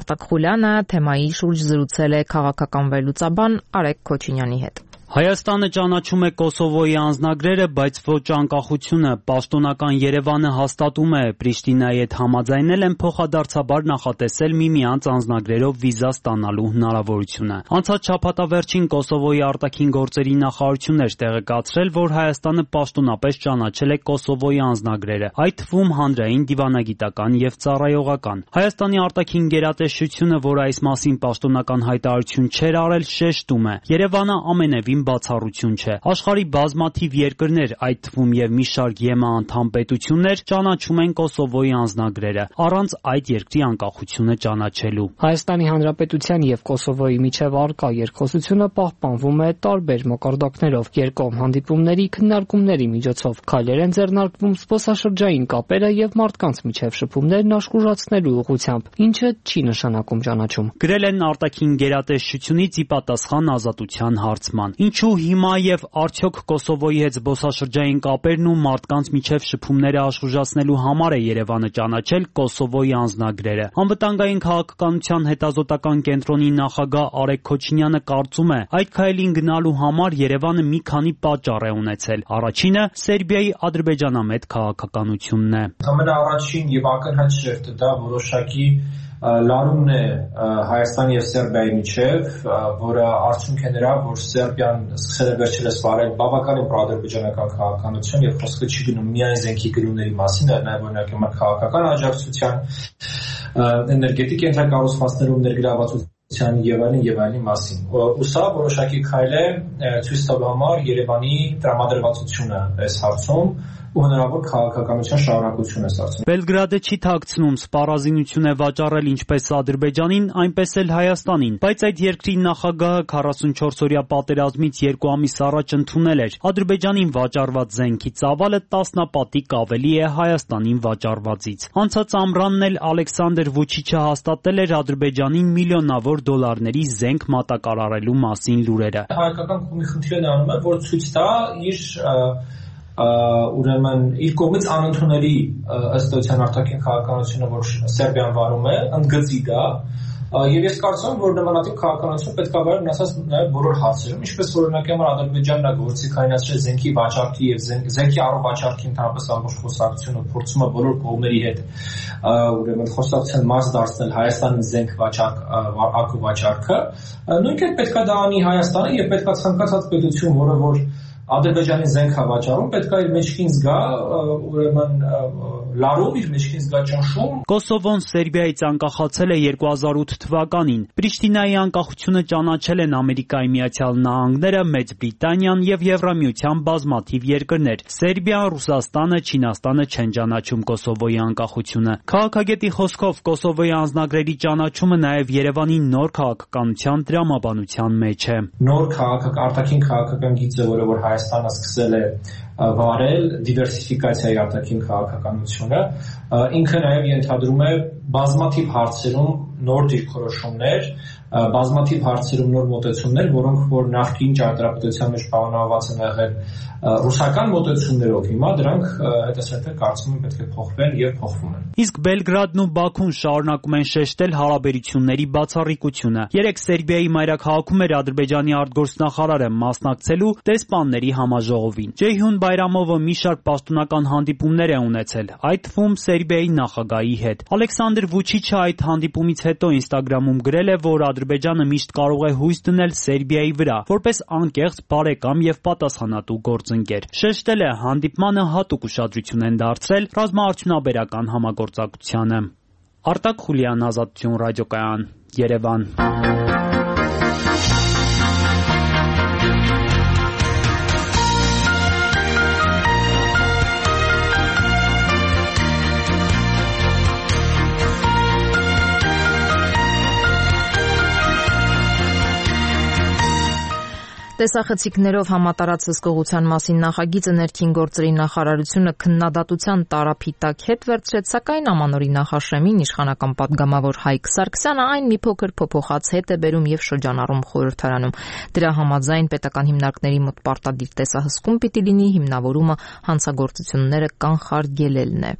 Արտակ Խուլյանը թեմայի շուրջ զրուցել է քաղաքական վերլուծաբան Արեգ Քոչինյանի հետ։ Հայաստանը ճանաչում է Կոսովոյի անձնագրերը, բայց ոչ անկախությունը։ Պաշտոնական Երևանը հաստատում է, Պրիշտինայի հետ համաձայնել են փոխադարձաբար նախատեսել միմյանց անձնագրերով վիզա ստանալու հնարավորությունը։ Անցած շաբաթավերջին Կոսովոյի արտաքին գործերի նախարարությունն էր տեղեկացրել, որ Հայաստանը պաշտոնապես ճանաչել է Կոսովոյի անձնագրերը, այդ թվում հանրային, դիվանագիտական եւ ծառայողական։ Հայաստանի արտաքին գերատեսչությունը, որ այս մասին պաշտոնական հայտարարություն չէր արել, շեշտում է. Երևանը ամենևին բացառություն չէ։ Աշխարհի բազմաթիվ երկրներ, այդ թվում եւ մի շարք ԵՄ անդամ պետություններ ճանաչում են Կոսովոյի անձնագրերը, առանց այդ երկրի անկախությունը ճանաչելու։ Հայաստանի Հանրապետության եւ Կոսովոյի միջև առկա երկխոսությունը պահպանվում է տարբեր մակարդակներով, երկկողմ հանդիպումների, քննարկումների միջոցով, քայլեր են ձեռնարկվում զբոսաշրջային կապերը եւ մարդկանց միջև շփումներն աշխուժացնելու ուղղությամբ, ինչը չի նշանակում ճանաչում։ Գրել են արտաքին գերատեսչությունից ի պատասխան Ազատության հարցման։ Ինչու հիմա եւ արդյոք Կոսովոյի հետ զբոսաշրջային կապերն ու մարդկանց միջև շփումները աշխուժացնելու համար է Երևանը ճանաչել Կոսովոյի անձնագրերը։ Անվտանգային քաղաքականության հետազոտական կենտրոնի նախագահ Արեգ Քոչինյանը կարծում է, այդ քայլին գնալու համար Երևանը մի քանի պատճառ է ունեցել։ Առաջինը Սերբիայի ադրբեջանամետ քաղաքականությունն է։ Ամենաառաջին եւ ակնհայտ շերտը դա որոշակի լարումն է Հայաստանի եւ Սերբիայի միջև, որը արդյունք է նրա, որ Սերբիան սկսել է վերջերս վարել բավականին պրոադրբեջանական քաղաքականություն եւ խոսքը չի գնում միայն զենքի գնումների մասին, այլ նաեւ օրինակ քաղաքական աջակցության, էներգետիկ ենթակառուցվածքներում ներգրավվածության եւ այլնի մասին։ Ու սա որոշակի քայլ է ցույց տալու համար Երևանի տրամադրվածությունը այս հարցում ու հնարավոր քաղաքականության շարունակություն է ստացվում։ Բելգրադը չի թաքցնում, սպառազինություն է վաճառել ինչպես Ադրբեջանին, այնպես էլ Հայաստանին, բայց այդ երկրի նախագահը 44-օրյա պատերազմից 2 ամիս առաջ ընդունել էր Ադրբեջանին վաճառված զենքի ծավալը տասնապատիկ ավելի է Հայաստանին վաճառվածից։ Անցած ամռանն էլ Ալեքսանդր Վուչիչը հաստատել էր Ադրբեջանին միլիոնավոր դոլարների զենք մատակարարելու մասին լուրերը։ Հայկական կողմի խնդիրը նրանում է, որ ցույց տա իր ուրեմն իր կողմից անընդունելի ըստ էության արտաքին քաղաքականությունը, որ Սերբիան վարում է, ընդգծի դա, եւ ես կարծում եմ, որ նմանատիպ քաղաքականություն պետք է վարել ասած նաեւ բոլոր հարցերում, ինչպես օրինակի համար Ադրբեջանն է գործի կայացրել զենքի վաճառքի եւ զենքի առողջարքի ընդհանրապես ամբողջ խոսակցությունը փորձում է բոլոր կողմերի հետ ուրեմն խոսակցության մաս դարձնել Հայաստանի զենք վաճառքը, նույնքան պետք է դա անի Հայաստանը եւ պետք է ցանկացած պետություն, որը որ Ադրբեջանի զենք հավաճառում պետք է իր մեջքին զգա ուրեմն լարում իր մեջքին զգա ճնշում։ Կոսովոն Սերբիայից անկախացել է 2008 թվականին։ Պրիշտինայի անկախությունը ճանաչել են Ամերիկայի Միացյալ Նահանգները, Մեծ Բրիտանիան եւ Եվրամիության բազմաթիվ երկրներ։ Սերբիան, Ռուսաստանը, Չինաստանը չեն ճանաչում Կոսովոյի անկախությունը։ Քաղաքագետի խոսքով Կոսովոյի անձնագրերի ճանաչումը նաեւ Երևանի նոր քաղաքականության տրամաբանության մեջ է։ Նոր արտաքին քաղաքական գիծը, որը որ Հայաստանը սկսել է վարել դիվերսիֆիկացիայի արտաքին քաղաքականությունը, ինքը նաև ենթադրում է բազմաթիվ հարցերում նոր դիրքորոշումներ, բազմաթիվ հարցերում նոր մոտեցումներ, որոնք որ նախկին ճարտարապետության մեջ պայմանավորված են եղել ռուսական մոտեցումներով, հիմա դրանք հետզհետե կարծում եմ պետք է փոխվեն եւ փոխվում են։ Իսկ Բելգրադն ու Բաքուն շարունակում են շեշտել հարաբերությունների բացառիկությունը։ Երեք Սերբիայի մայրաքաղաքում էր Ադրբեջանի արտգործնախարարը մասնակցելու դեսպանների համաժողովին։ Ջեյհուն Բայրամովը մի շարք պաշտոնական հանդիպումներ է ունեցել, այդ թվում Սերբիայի նախագահի հետ։ Ալեքսանդր Վուչիչը այդ հանդիպումից հետո Instagram-ում գրել է, որ Ադրբեջանը միշտ կարող է հույս դնել Սերբիայի վրա, որպես անկեղծ, բարեկամ եւ պատասխանատու գործընկեր։ Շեշտել է, հանդիպմանը հատուկ ուշադրություն են դարձրել ռազմաարդյունաբերական համագործակցությանը։ Արտակ Խուլյան, Ազատություն ռադիոկայան, Երևան։ Տեսախցիկներով համատարած հսկողության մասին նախագիծը ներքին գործերի նախարարությունը քննադատության տարափի տակ հետ վերցրեց, սակայն Ամանորի նախաշեմին իշխանական պատգամավոր Հայկ Սարգսյանը այն մի փոքր փոփոխած հետ է բերում եւ շրջանառում խորհրդարանում։ Դրա համաձայն պետական հիմնարկների մոտ պարտադիր տեսահսկում պիտի լինի, հիմնավորումը հանցագործությունները կանխարգելելն է։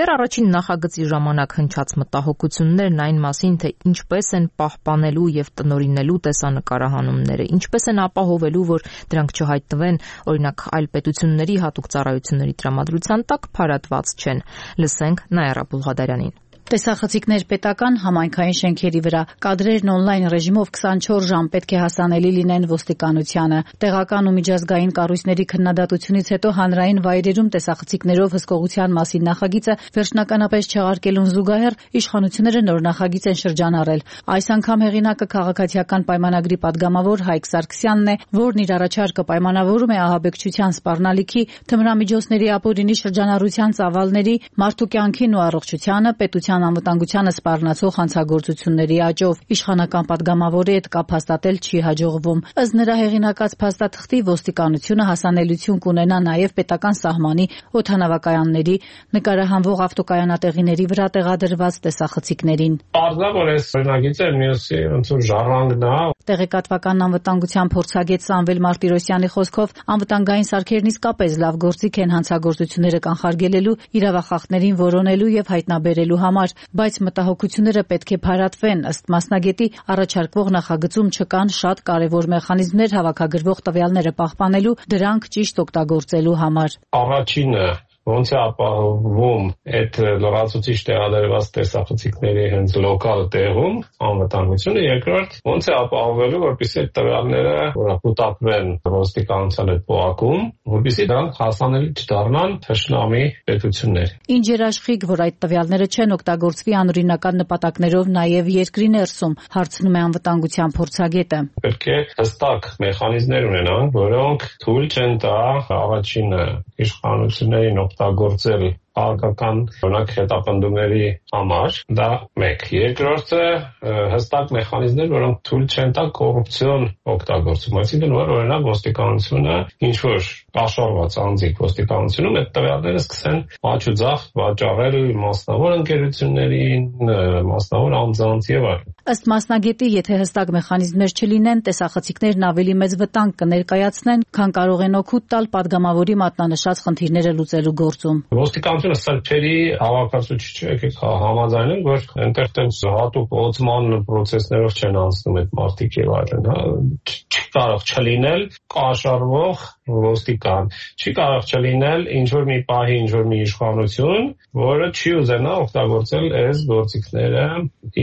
Դեռ առաջին նախագծի ժամանակ հնչած մտահոգություններն այն մասին, թե ինչպես են պահպանելու եւ տնօրինելու տեսանկարահանումները, ինչպես են ապահովելու, որ դրանք չհայտնվեն, օրինակ, այլ պետությունների հատուկ ծառայությունների տրամադրության տակ փարատված չեն։ Լսենք Նայարա Բուլղադարյանին։ Տեսախցիկներ պետական համայնքային շենքերի վրա, կադրերն on-line ռեժիմով 24 ժամ պետք է հասանելի լինեն ոստիկանությանը։ Տեղական ու միջազգային կառույցների քննադատությունից հետո հանրային վայրերում տեսախցիկներով հսկողության մասին նախագիծը վերջնականապես չեղարկելուն զուգահեռ իշխանությունները նոր նախագիծ են շրջանառել։ Այս անգամ հեղինակը քաղաքացիական պայմանագրի падգամավոր Հայկ Սարգսյանն է, որն իր առաջարկը պայմանավորում է ահաբեկչության սպառնալիքի, թմրամիջոցների ապօրինի շրջանառության ծավալների, մարդու կյանքին ու առողջությանը, պետության անվտանգությանը սպառնացող հանցագործությունների աճով։ Իշխանական падգամավորի հետ կապ հաստատել չի հաջողվում։ Ըստ նրա հեղինակած փաստաթղթի ոստիկանությունը հասանելիություն կունենա նաև պետական սահմանի, օդանավակայանների, նկարահանվող ավտոկայանատեղիների վրա տեղադրված տեսախցիկներին։ Պարզաբար այս օրինագիծը մյուսի ոնց որ ժառանգն է։ Տեղեկատվական անվտանգության փորձագետ Սամվել Մարտիրոսյանի խոսքով անվտանգային սարքերն իսկապես լավ գործիք են հանցագործությունները կանխարգելելու, իրավախախտներին որոնելու եւ հայտնաբերելու համար, բայց մտահոգությունները պետք է փարատվեն։ Ըստ մասնագետի, առաջարկվող նախագծում չկան շատ կարևոր մեխանիզմներ հավաքագրվող տվյալները պահպանելու, դրանք ճիշտ օգտագործելու համար։ Առաջինը ոնց է ապահովում այդ լրացուցիչ տեղադրված տեսախցիկների հենց լոկալ տեղում անվտանգությունը, երկրորդ ոնց է ապահովելու, որպեսզի այդ տվյալները կուտակվեն ոստիկանության հետ փոխակում, որպեսզի դրանք հասանելի չդառնան թշնամի պետություններ։ Ինչ երաշխիք, որ այդ տվյալները չեն օգտագործվի անօրինական նպատակներով նաև երկրի ներսում, հարցնում է անվտանգության փորձագետը։ Պետք է հստակ մեխանիզմներ ունենան, որոնք թույլ չեն տա առաջինը իշխանություններին օգտագործել քաղաքական օրինակ հետապնդումների համար, դա մեկ։ Երկրորդը հստակ մեխանիզմներ, որոնք թույլ չեն տա կոռուպցիոն օգտագործում, այսինքն որ օրինակ ոստիկանությունը ինչ որ կաշառված անձիկ ոստիկանությունում այդ տվյալները սկսեն աճուձախ վաճառել մասնավոր ընկերություններին, մասնավոր անձանց եւ այլն։ Ըստ մասնագետի, եթե հստակ մեխանիզմներ չլինեն, տեսախցիկներն ավելի մեծ վտանգ կներկայացնեն, քան կարող են օգուտ տալ падգամավորի մատնանշած խնդիրները լուծելու գործում։ Ոստիկանությունը սրբերի հավաքածու չի, եկեք համաձայնենք, որ այնտեղ տենց հատուկ օծման պրոցեսներով չեն անցնում այդ մարդիկ եւ այլն, չի կարող չլինել կաշառվող ոստիկան, չի կարող չլինել ինչ որ մի պահի ինչ որ մի իշխանություն, որը չի ուզենա օգտագործել այս գործիքները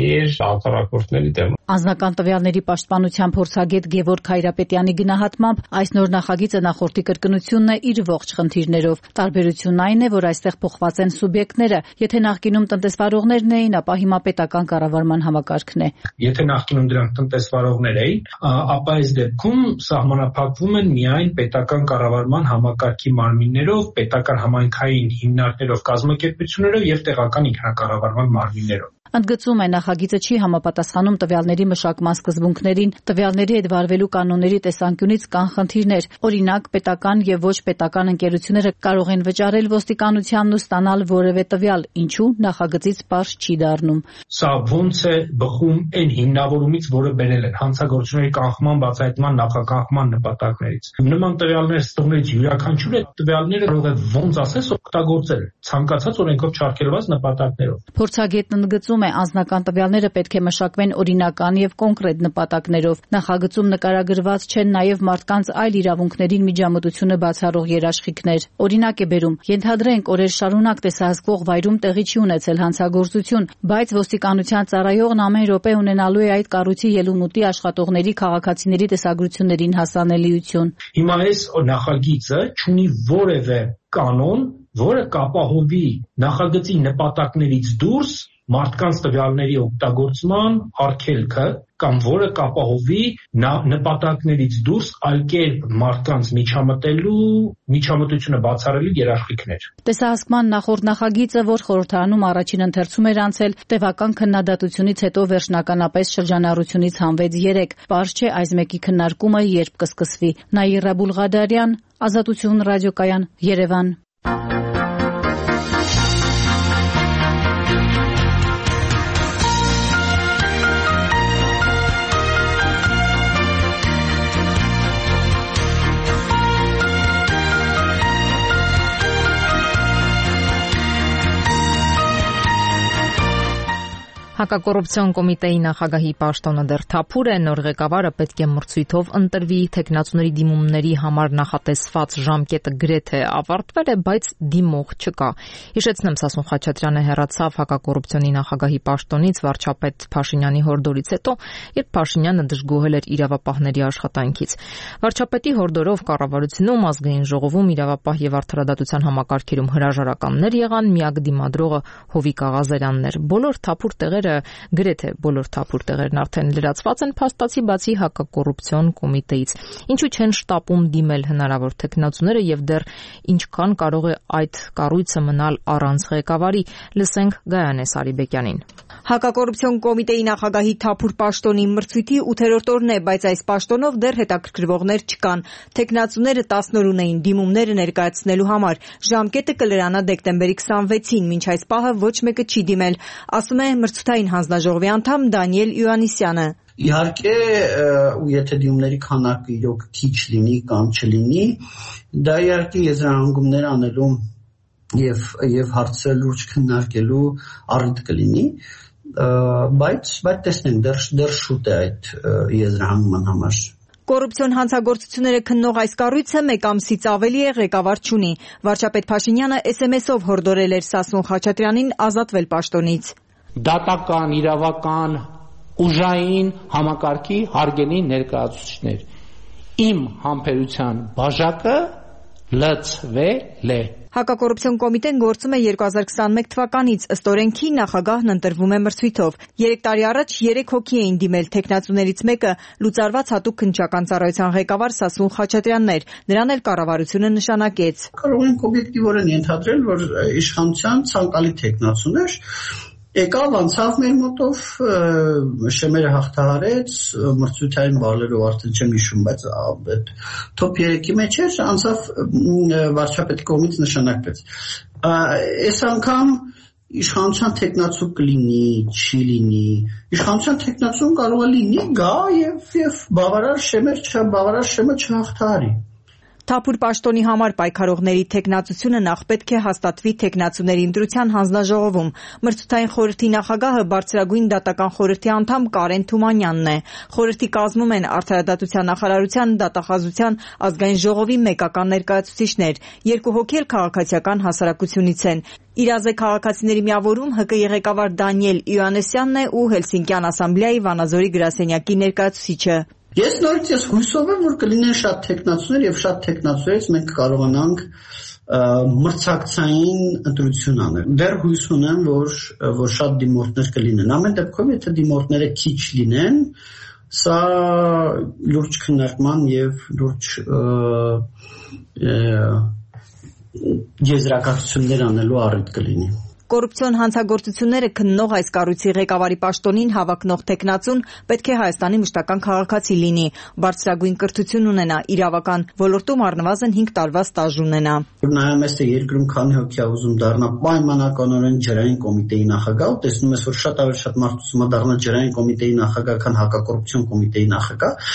իր հակառակորդների դեմ։ Անձնական տվյալների պաշտպանության փորձագետ Գևորգ Հայրապետյանի գնահատմամբ այս նոր նախագիծը նախորդի կրկնությունն է իր ողջ խնդիրներով։ Տարբերությունն այն է, որ այստեղ փոխված են սուբյեկտները, եթե նախկինում տնտեսվարողներն էին, ապա հիմա պետական կառավարման համակարգն է։ Եթե նախկինում դրանք տնտեսվարողներ էին, ապա այս դեպքում սահմանափակվում են միայն պետական կառավարման համակարգի մարմիններով, պետական համայնքային հիմնարկներով, կազմակերպություններով եւ տեղական ինքնակառավարման մարմիններով։ Ընդգծում է, նախագիծը չի համապատասխանում տվյալների մշակման սկզբունքներին, տվյալների հետ վարվելու կանոնների տեսանկյունից կան խնդիրներ։ Օրինակ, պետական եւ ոչ պետական ընկերությունները կարող են վճարել ոստիկանությանն ու ստանալ որևէ տվյալ, ինչու նախագծից պարզ չի դառնում։ Սա ոնց է բխում այն հիմնավորումից, որը բերել են հանցագործությունների կանխման, բացահայտման, նախականխման նպատակներից։ Նման տվյալներ ստորներից յուրաքանչյուր այդ տվյալները կարող է ոնց ասես օգտագործել ցանկացած օրենքով չարգելված նպատակներով։ Փորձագետն ընդգծում անձնական տվյալները պետք է մշակվեն օրինական եւ կոնկրետ նպատակներով։ Նախագծում նկարագրված չեն նաեւ մարդկանց այլ իրավունքներին միջամտությունը բացառող երաշխիքներ։ Օրինակ է բերում. ենթադրենք օրեր շարունակ տեսահսկվող վայրում տեղի չի ունեցել հանցագործություն, բայց ոստիկանության ծառայողն ամեն րոպե ունենալու է այդ կառույցի ելումուտի աշխատողների քաղաքացիների տեսագրություններին հասանելիություն։ Հիմա այս նախագիծը չունի որևէ կանոն, որը կապահովի նախագծի նպատակներից դուրս մարդկանց տվյալների օգտագործման արգելքը կամ որը կապահովի նպատակներից դուրս այլ կերպ մարդկանց միջամտությունը բացառելու երաշխիքներ։ Տեսահսկման նախորդ նախագիծը, որ խորհրդարանում առաջին ընթերցում էր անցել, տևական քննադատությունից հետո վերջնականապես շրջանառությունից հանվեց 3։ Պարզ չէ այս մեկի քննարկումը երբ կսկսվի։ Նաիրա Բուլղադարյան, Ազատություն ռադիոկայան, Երևան։ Հակակոռուպցիոն կոմիտեի նախագահի պաշտոնը դեռ թափուր է, նոր ղեկավարը պետք է մրցույթով ընտրվի, թեկնածուների դիմումների համար նախատեսված ժամկետը գրեթե ավարտվել է, բայց դիմող չկա։ Հիշեցնեմ, Սասուն Խաչատրյանը հեռացավ հակակոռուպցիոնի նախագահի պաշտոնից վարչապետ Փաշինյանի հորդորից հետո, երբ Փաշինյանը դժգոհել էր իրավապահների աշխատանքից։ Վարչապետի հորդորով կառավարությունում, ազգային ժողովում, իրավապահ եւ արդարադատության համակարգերում հրաժարականներ եղան, միակ դիմադրողը Հովիկ Աղազարյանն էր։ Բոլոր թափուր տեղերը գրեթե բոլոր թափուր տեղերն արդեն լրացված են փաստացի բացի հակակոռուպցիոն կոմիտեից։ Ինչու չեն շտապում դիմել հնարավոր թեկնածուները եւ դեռ ինչքան կարող է այդ կառույցը մնալ առանց ղեկավարի։ Լսենք Գայանե Սարիբեկյանին։ Հակակոռուպցիոն կոմիտեի նախագահի թափուր պաշտոնի մրցույթի 8-րդ օրն է, բայց այս պաշտոնով դեռ հետաքրքրվողներ չկան։ Թեկնածուները 10 օր ունեին դիմումները ներկայացնելու համար։ Ժամկետը կլրանա դեկտեմբերի 26-ին, մինչ այս պահը ոչ մեկը չի դիմել, ասում է մրցութային հանձնաժողովի անդամ Դանիել Յուանիսյանը։ Իհարկե, եթե դիմումների քանակը իրոք քիչ լինի կամ չլինի, դա իհարկե եզրահանգումներ անելու եւ հարցը լուրջ քննարկելու առիթ կլինի, բայց տեսնենք դեռ շուտ է այդ եզրահանգման համար։ Կոռուպցիոն հանցագործությունները քննող այս կառույցը մեկ ամսից ավելի է ղեկավար չունի։ Վարչապետ Փաշինյանը SMS-ով հորդորել էր Սասուն Խաչատրյանին ազատվել պաշտոնից։ Դատական, իրավական, ուժային համակարգի հարգելի ներկայացուցիչներ։ Իմ համբերության բաժակը լծվել է։ Հակակոռուպցիոն կոմիտեն գործում է 2021 թվականից, ըստ օրենքի նախագահն ընտրվում է մրցույթով։ 3 տարի առաջ 3 հոգի էին դիմել, թեկնածուներից մեկը լուծարված հատուկ քննչական ծառայության ղեկավար Սասուն Խաչատրյանն էր, նրան էլ կառավարությունը նշանակեց։ Կարող ենք օբյեկտիվորեն ենթադրել, որ իշխանության ցանկալի թեկնածուներ եկավ, անցավ մեր մոտով, շեմերը հաղթահարեց, մրցութային բալերով արդեն չեմ հիշում, բայց այդ top 3-ի մեջ էր, անցավ վարչապետի կողմից նշանակվեց։ Այս անգամ իշխանության թեկնածու կլինի, չի լինի, իշխանության թեկնածուն կարող է լինի, գա եւ բավարար շեմը չհաղթահարի։ Թափուր պաշտոնի համար պայքարողների թեկնածությունը նախ պետք է հաստատվի թեկնածուների ընտրության հանձնաժողովում։ Մրցութային խորհրդի նախագահը բարձրագույն դատական խորհրդի անդամ Կարեն Թումանյանն է։ Խորհրդի կազմում են Արդարադատության նախարարության, Դատախազության ազգային ժողովի մեկական ներկայացուցիչներ, 2 հոգի էլ քաղաքացիական հասարակությունից են։ Իրազե քաղաքացիների միավորում ՀԿ ղեկավար Դանիել Իոաննիսյանն է ու Հելսինկյան ասամբլեայի Վանաձորի գրասենյակի ներկայացուցիչը։ Ես նորից հույսով եմ, որ կլինեն շատ թեկնածուներ եւ շատ թեկնածուներից մենք կարողանանք մրցակցային ընտրություն անել։ Դեռ հույս ունեմ, որ շատ դիմորդներ կլինեն։ Ամեն դեպքում, եթե դիմորդները քիչ լինեն, սա լուրջ քննարկման եւ լուրջ եզրակացություններ անելու առիթ կլինի։ Կոռուպցիոն հանցագործությունները քննող այս կառույցի ղեկավարի պաշտոնին հավակնող թեկնածուն պետք է Հայաստանի մշտական քաղաքացի լինի, բարձրագույն կրթություն ունենա, իրավական ոլորտում առնվազն 5 տարվա ստաժ ունենա։ Նայում ես, թե երկրում քանի հոգի է ուզում դառնա պայմանականորեն ջրային կոմիտեի նախագահ, տեսնում ես, որ շատ ավելի շատ մարդ ուզում է դառնա ջրային կոմիտեի նախագահ, քան հակակոռուպցիոն կոմիտեի նախագահ։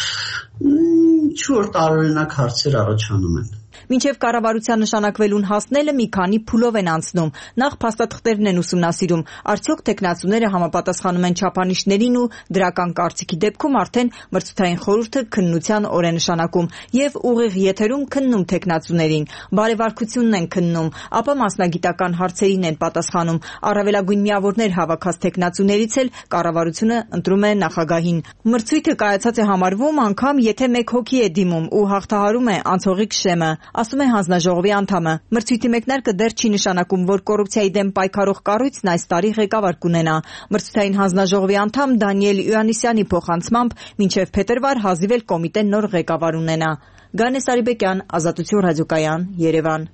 Ինչ-որ տարօրինակ հարցեր առաջանում են։ Մինչև կառավարության նշանակվելուն հասնելը մի քանի փուլով են անցնում։ Նախ փաստաթղթերն են ուսումնասիրում, արդյոք թեկնածուները համապատասխանում են չափանիշներին ու դրական կարծիքի դեպքում արդեն մրցութային խորհուրդը քննության օր է նշանակում եւ ուղիղ եթերում քննում թեկնածուներին, բարեվարկությունն են քննում, ապա մասնագիտական հարցերին են պատասխանում, առավելագույն միավորներ հավաքած թեկնածուներից էլ կառավարությունը ընտրում է նախագահին։ Մրցույթը կայացած է համարվում անգամ, եթե 1 հոգի է դիմում ու հաղթահարում է անցողիկ շեմը, ասում է հանձնաժողովի անդամը։ Մրցույթի մեկնարկը դեռ չի նշանակում, որ կոռուպցիայի դեմ պայքարող կառույցն այս տարի ղեկավար կունենա։ Մրցութային հանձնաժողովի անդամ Դանիել Իոաննիսյանի փոխանցմամբ մինչև փետրվար հազիվ էլ կոմիտեն նոր ղեկավար ունենա։ Գանես Արիբեկյան, Ազատություն ռադիոկայան, Երևան։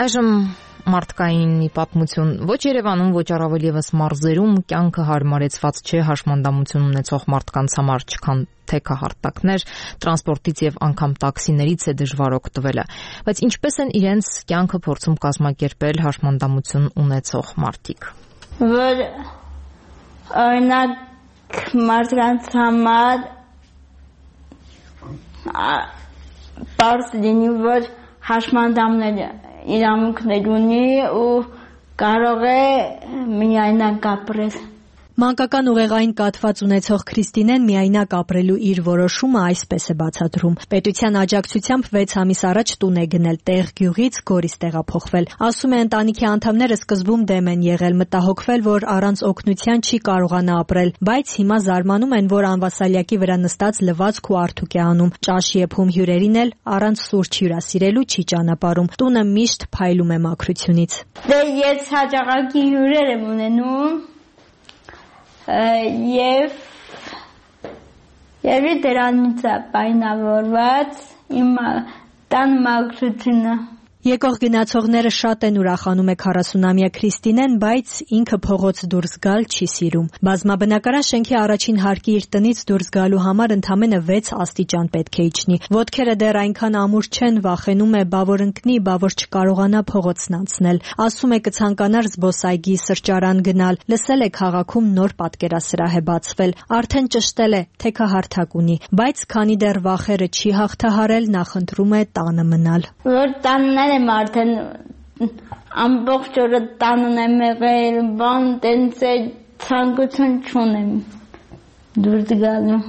Այժմ մարդկային մի պատմություն։ Ոչ Երևանում, ոչ առավել եւս մարզերում կյանքը հարմարեցված չէ հաշմանդամություն ունեցող մարդկանց համար, չքան թեքահարտակներ, տրանսպորտից եւ անգամ տաքսիներից է դժվար օգտվելը։ Բայց ինչպես են իրենց կյանքը փորձում կազմակերպել հաշմանդամություն ունեցող մարդիկ։ Որ օրինակ մարդկանց համար բարձ լինի, որ հաշմանդամները իրավունքներ ունի ու կարող է միայնակ ապրել։ Մանկական ուղեղային կաթված ունեցող Քրիստինեն միայնակ ապրելու իր որոշումը այսպես է բացատրում։ Պետության աջակցությամբ 6 ամիս առաջ տուն է գնել, տեղ գյուղից Գորիս տեղափոխվել։ Ասում է, ընտանիքի անդամները սկզբում դեմ են եղել, մտահոգվել, որ առանց օգնության չի կարողանա ապրել, բայց հիմա զարմանում են, որ անվասալյակի վրա նստած լվացք ու արթուք է անում, ճաշ եփում հյուրերին էլ առանց սուրճ հյուրասիրելու չի ճանապարհում։ Տունը միշտ փայլում է մաքրությունից։ Դե ես հաճախակի հյուրեր եմ ունենում եւ դրանից է պայմանավորված իմ տան մաքրությունը։ Եկող գնացողները շատ են ուրախանում է 40-ամյա Քրիստինեն, բայց ինքը փողոց դուրս գալ չի սիրում։ Բազմաբնակարան շենքի առաջին հարկի իր տնից դուրս գալու համար ընդամենը 6 աստիճան պետք է իջնի։ Ոտքերը դեռ այնքան ամուր չեն, վախենում է բա որ ընկնի, բա որ չկարողանա փողոցն անցնել։ Ասում է կցանկանար զբոսայգի, սրճարան գնալ, լսել է քաղաքում նոր պատկերասրահ է բացվել, արդեն ճշտել է, թեքահարթակ ունի, բայց քանի դեռ վախերը չի հաղթահարել, նախընտրում է տանը մնալ։ Որ տանն եմ արդեն ամբողջ օրը տանն եմ եղել, բան տենց է ցանկություն չունեմ դուրս գալու։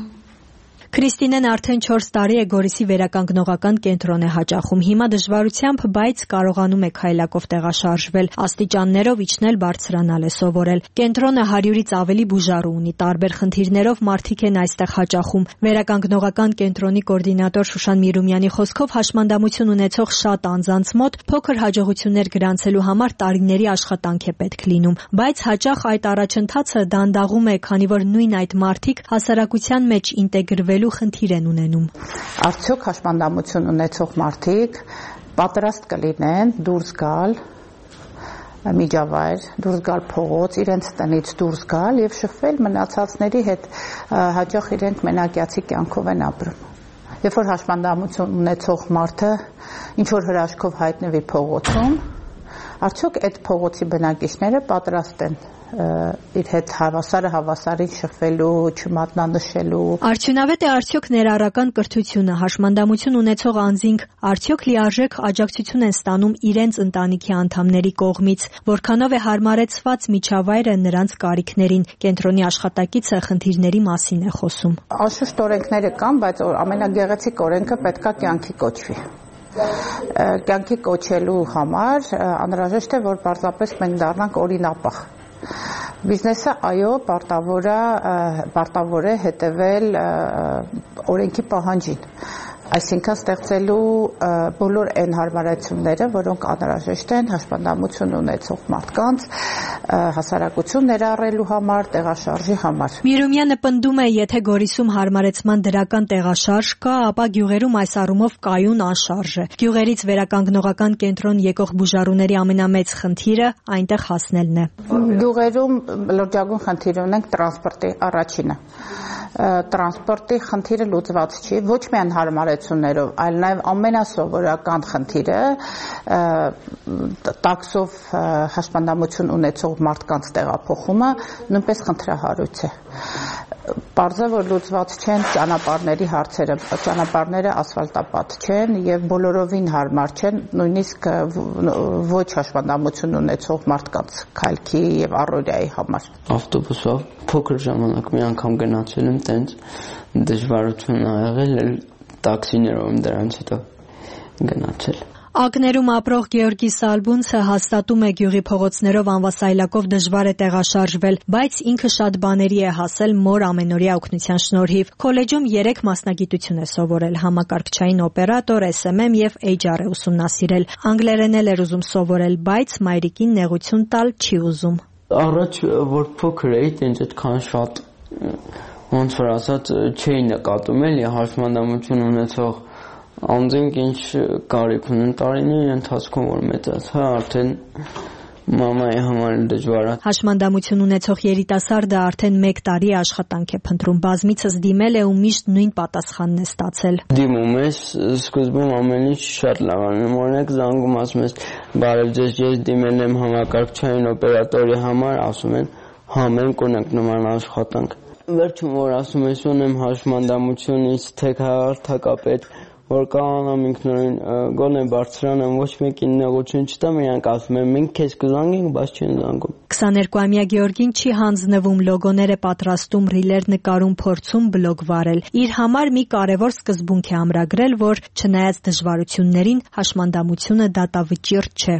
Քրիստինեն արդեն 4 տարի է Գորիսի վերականգնողական կենտրոն է հաճախում։ Հիմա դժվարությամբ, բայց կարողանում է քայլակով տեղաշարժվել, աստիճաններով իջնել, բարձրանալ է սովորել։ Կենտրոնը 100-ից ավելի բուժարու ունի, տարբեր խնդիրներով մարդիկ են այստեղ հաճախում։ Վերականգնողական կենտրոնի կոորդինատոր Շուշան Միրումյանի խոսքով հաշմանդամություն ունեցող շատ անձանց մոտ փոքր հաջողություններ գրանցելու համար տարիների աշխատանք է պետք լինում, բայց հաճախ այդ առաջընթացը դանդաղում է, քանի որ նույն այդ մարդիկ հասարակության մեջ ինտեգրվելու խնդիր են ունենում։ Արդյոք հաշմանդամություն ունեցող մարդիկ պատրաստ կլինեն դուրս գալ միջավայր, դուրս գալ փողոց, իրենց տնից դուրս գալ եւ շփվել մնացածների հետ, հաճախ իրենք մենակյացի կյանքով են ապրում։ Երբ որ հաշմանդամություն ունեցող մարդը ինչ որ հրաշքով հայտնվի փողոցում, արդյոք այդ փողոցի բնակիչները պատրաստ են իր հետ հավասարին շփվելու, չմատնանշելու։ Արդյունավետ է արդյոք ներառական կրթությունը, հաշմանդամություն ունեցող անձինք արդյոք լիարժեք աջակցություն են ստանում իրենց ընտանիքի անդամների կողմից, որքանով է հարմարեցված միջավայրը նրանց կարիքներին։ Կենտրոնի աշխատակիցը խնդիրների մասին է խոսում։ Անշուշտ օրենքները կան, բայց ամենագեղեցիկ օրենքը պետքա կյանքի կոչվի։ Կյանքի կոչելու համար անհրաժեշտ է, որ պարզապես մենք դառնանք օրինապահ։ Բիզնեսը այո պարտավոր է հետևել օրենքի պահանջին, այսինքն ստեղծելու բոլոր այն հարմարությունները, որոնք անհրաժեշտ են հաշմանդամություն ունեցող մարդկանց հասարակություն ներառելու համար, տեղաշարժի համար։ Միրումյանը պնդում է, եթե Գորիսում հարմարեցման դրական տեղաշարժ կա, ապա գյուղերում այս առումով կայուն անշարժ է։ Գյուղերից վերականգնողական կենտրոն եկող բուժարուների ամենամեծ խնդիրը այնտեղ հասնելն է։ Գյուղերում լրջագույն խնդիր ունենք տրանսպորտի առաջինը։ Տրանսպորտի խնդիրը լուծված չի, ոչ միայն հարմարություններով, այլ նաև ամենասովորական խնդիրը տաքսով հաշմանդամություն ունեցող մարդկանց տեղափոխումը նույնպես խնդրահարույց է։ Պարզը որ լուծված չեն ճանապարհների հարցերը, ճանապարհները ասֆալտապատ չեն եւ բոլորովին հարմար չեն, նույնիսկ ոչ հաշմանդամություն ունեցող մարդկանց քայլքի եւ առօրյայի համար։ Ավտոբուսով փոքր ժամանակ մի անգամ գնացել եմ, տենց դժվարություն ա եղել, տաքսիներով եմ դրանից հետո գնացել։ Ակներում ապրող Գեորգի Սալբունցը հաստատում է գյուղի փողոցներով անվասայլակով դժվար է տեղաշարժվել, բայց ինքը շատ բաների է հասել մոր ամենօրյա օգնության շնորհիվ։ Քոլեջում 3 մասնագիտություն է սովորել՝ համակարգչային օպերատոր, SMM եւ HR է ուսումնասիրել։ Անգլերեն էլ էր ուզում սովորել, բայց մայրիկին նեղություն տալ չի ուզում։ Առաջ որ փոքր էի, տենց այդքան շատ ոնց որ ասած չէի նկատում էլի հաշմանդամություն ունեցող անձինք ինչ կարիք ունեն տարիների ընթացքում որ մեծացա, արդեն մամայի համար դժվար է։ Հաշմանդամություն ունեցող երիտասարդը արդեն 1 տարի աշխատանք է փնտրում, բազմիցս դիմել է ու միշտ նույն պատասխանն է ստացել։ Դիմում ես, սկզբում ամեն ինչ շատ լավ անում, օրինակ զանգում ասում ես, բարև ձեզ, ես դիմել եմ համակարգչային օպերատորի համար, ասում են, հա մենք ունենք նման աշխատանք։ Վերջում որ ասում ես ունեմ հաշմանդամությունից թեկահարթակապետ, որ կանամ ինքնուրույն գոնե բարձրանամ, ոչ մեկին նեղություն չտամ, իրանք ասում են մենք քեզ կզանգենք, բայց չեն զանգում։ 22-ամյա Գեորգին չի հանձնվում, լոգոներ է պատրաստում, ռիլեր նկարում, փորձում բլոգ վարել։ Իր համար մի կարևոր սկզբունք է ամրագրել, որ չնայած դժվարություններին հաշմանդամությունը դատավճիռ չէ։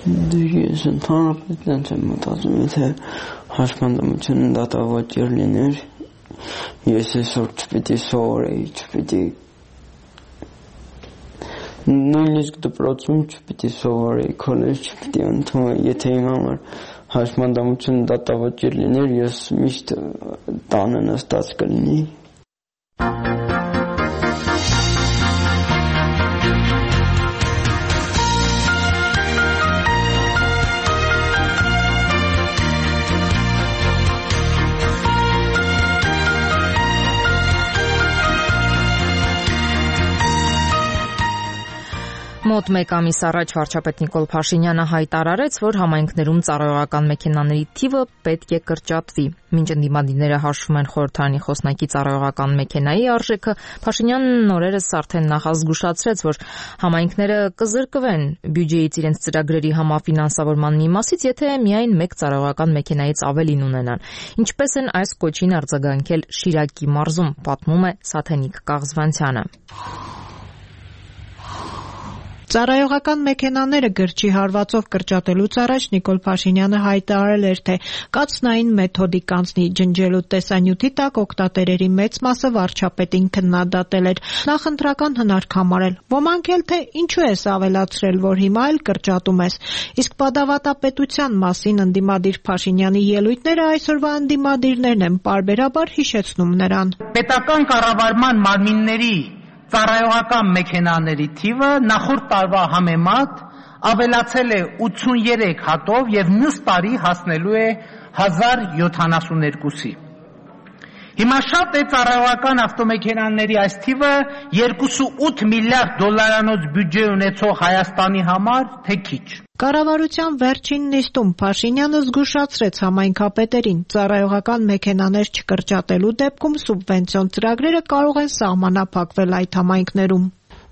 Ես ընդհանրապես տենց եմ մտածում, եթե հաշմանդամությունը դատավճիռ լիներ, ես այսօր չպիտի սովորեի, չպիտի նույնիսկ դպրոցում չպիտի սովորեի, քոլեջ չպիտի ընդունեի, եթե իմ համար հաշմանդամությունը դատավճիռ լիներ, ես միշտ տանը նստած կլինեի։ Մոտ Մոտ 1 ամիս առաջ վարչապետ Նիկոլ Փաշինյանը հայտարարեց, որ համայնքներում ծառայողական մեքենաների թիվը պետք է կրճատվի։ Մինչ ընդդիմադիրները հաշվում են խորհրդարանի խոսնակի ծառայողական մեքենայի արժեքը, Փաշինյանն օրերս արդեն նախազգուշացրեց, որ համայնքները կզրկվեն բյուջեից իրենց ծրագրերի համաֆինանսավորման մի մասից, եթե միայն 1 ծառայողական մեքենայից ավելին ունենան։ Ինչպես են այս կոչին արձագանքել Շիրակի մարզում, պատմում է Սաթենիկ Կաղզվանցյանը։ Ծառայողական մեքենաները գրչի հարվածով կրճատելուց առաջ Նիկոլ Փաշինյանը հայտարարել էր, թե կացնային մեթոդի կանցնի ջնջելու տեսանյութի տակ օգտատերերի մեծ մասը վարչապետին քննադատել էր, նախընտրական հնարք համարել։ Ոմանք էլ թե ինչու ես ավելացրել, որ հիմա էլ կրճատում ես։ Իսկ պատավատապետության մասին ընդդիմադիր Փաշինյանի ելույթները այսօրվա ընդդիմադիրներն են պարբերաբար հիշեցնում նրան։ Պետական կառավարման մարմինների ծառայողական մեքենաների թիվը նախորդ տարվա համեմատ ավելացել է 83 հատով եւ մյուս տարի հասնելու է 1072-ի։ Հիմա շատ է ծառայողական ավտոմեքենաների այս թիվը 2.8 միլիարդ դոլարանոց բյուջե ունեցող Հայաստանի համար, թե քիչ։ Կառավարության վերջին նիստում Փաշինյանը զգուշացրեց համայնքապետերին, ծառայողական մեքենաներ չկրճատելու դեպքում սուբվենցիոն ծրագրերը կարող են սահմանափակվել այդ համայնքներում։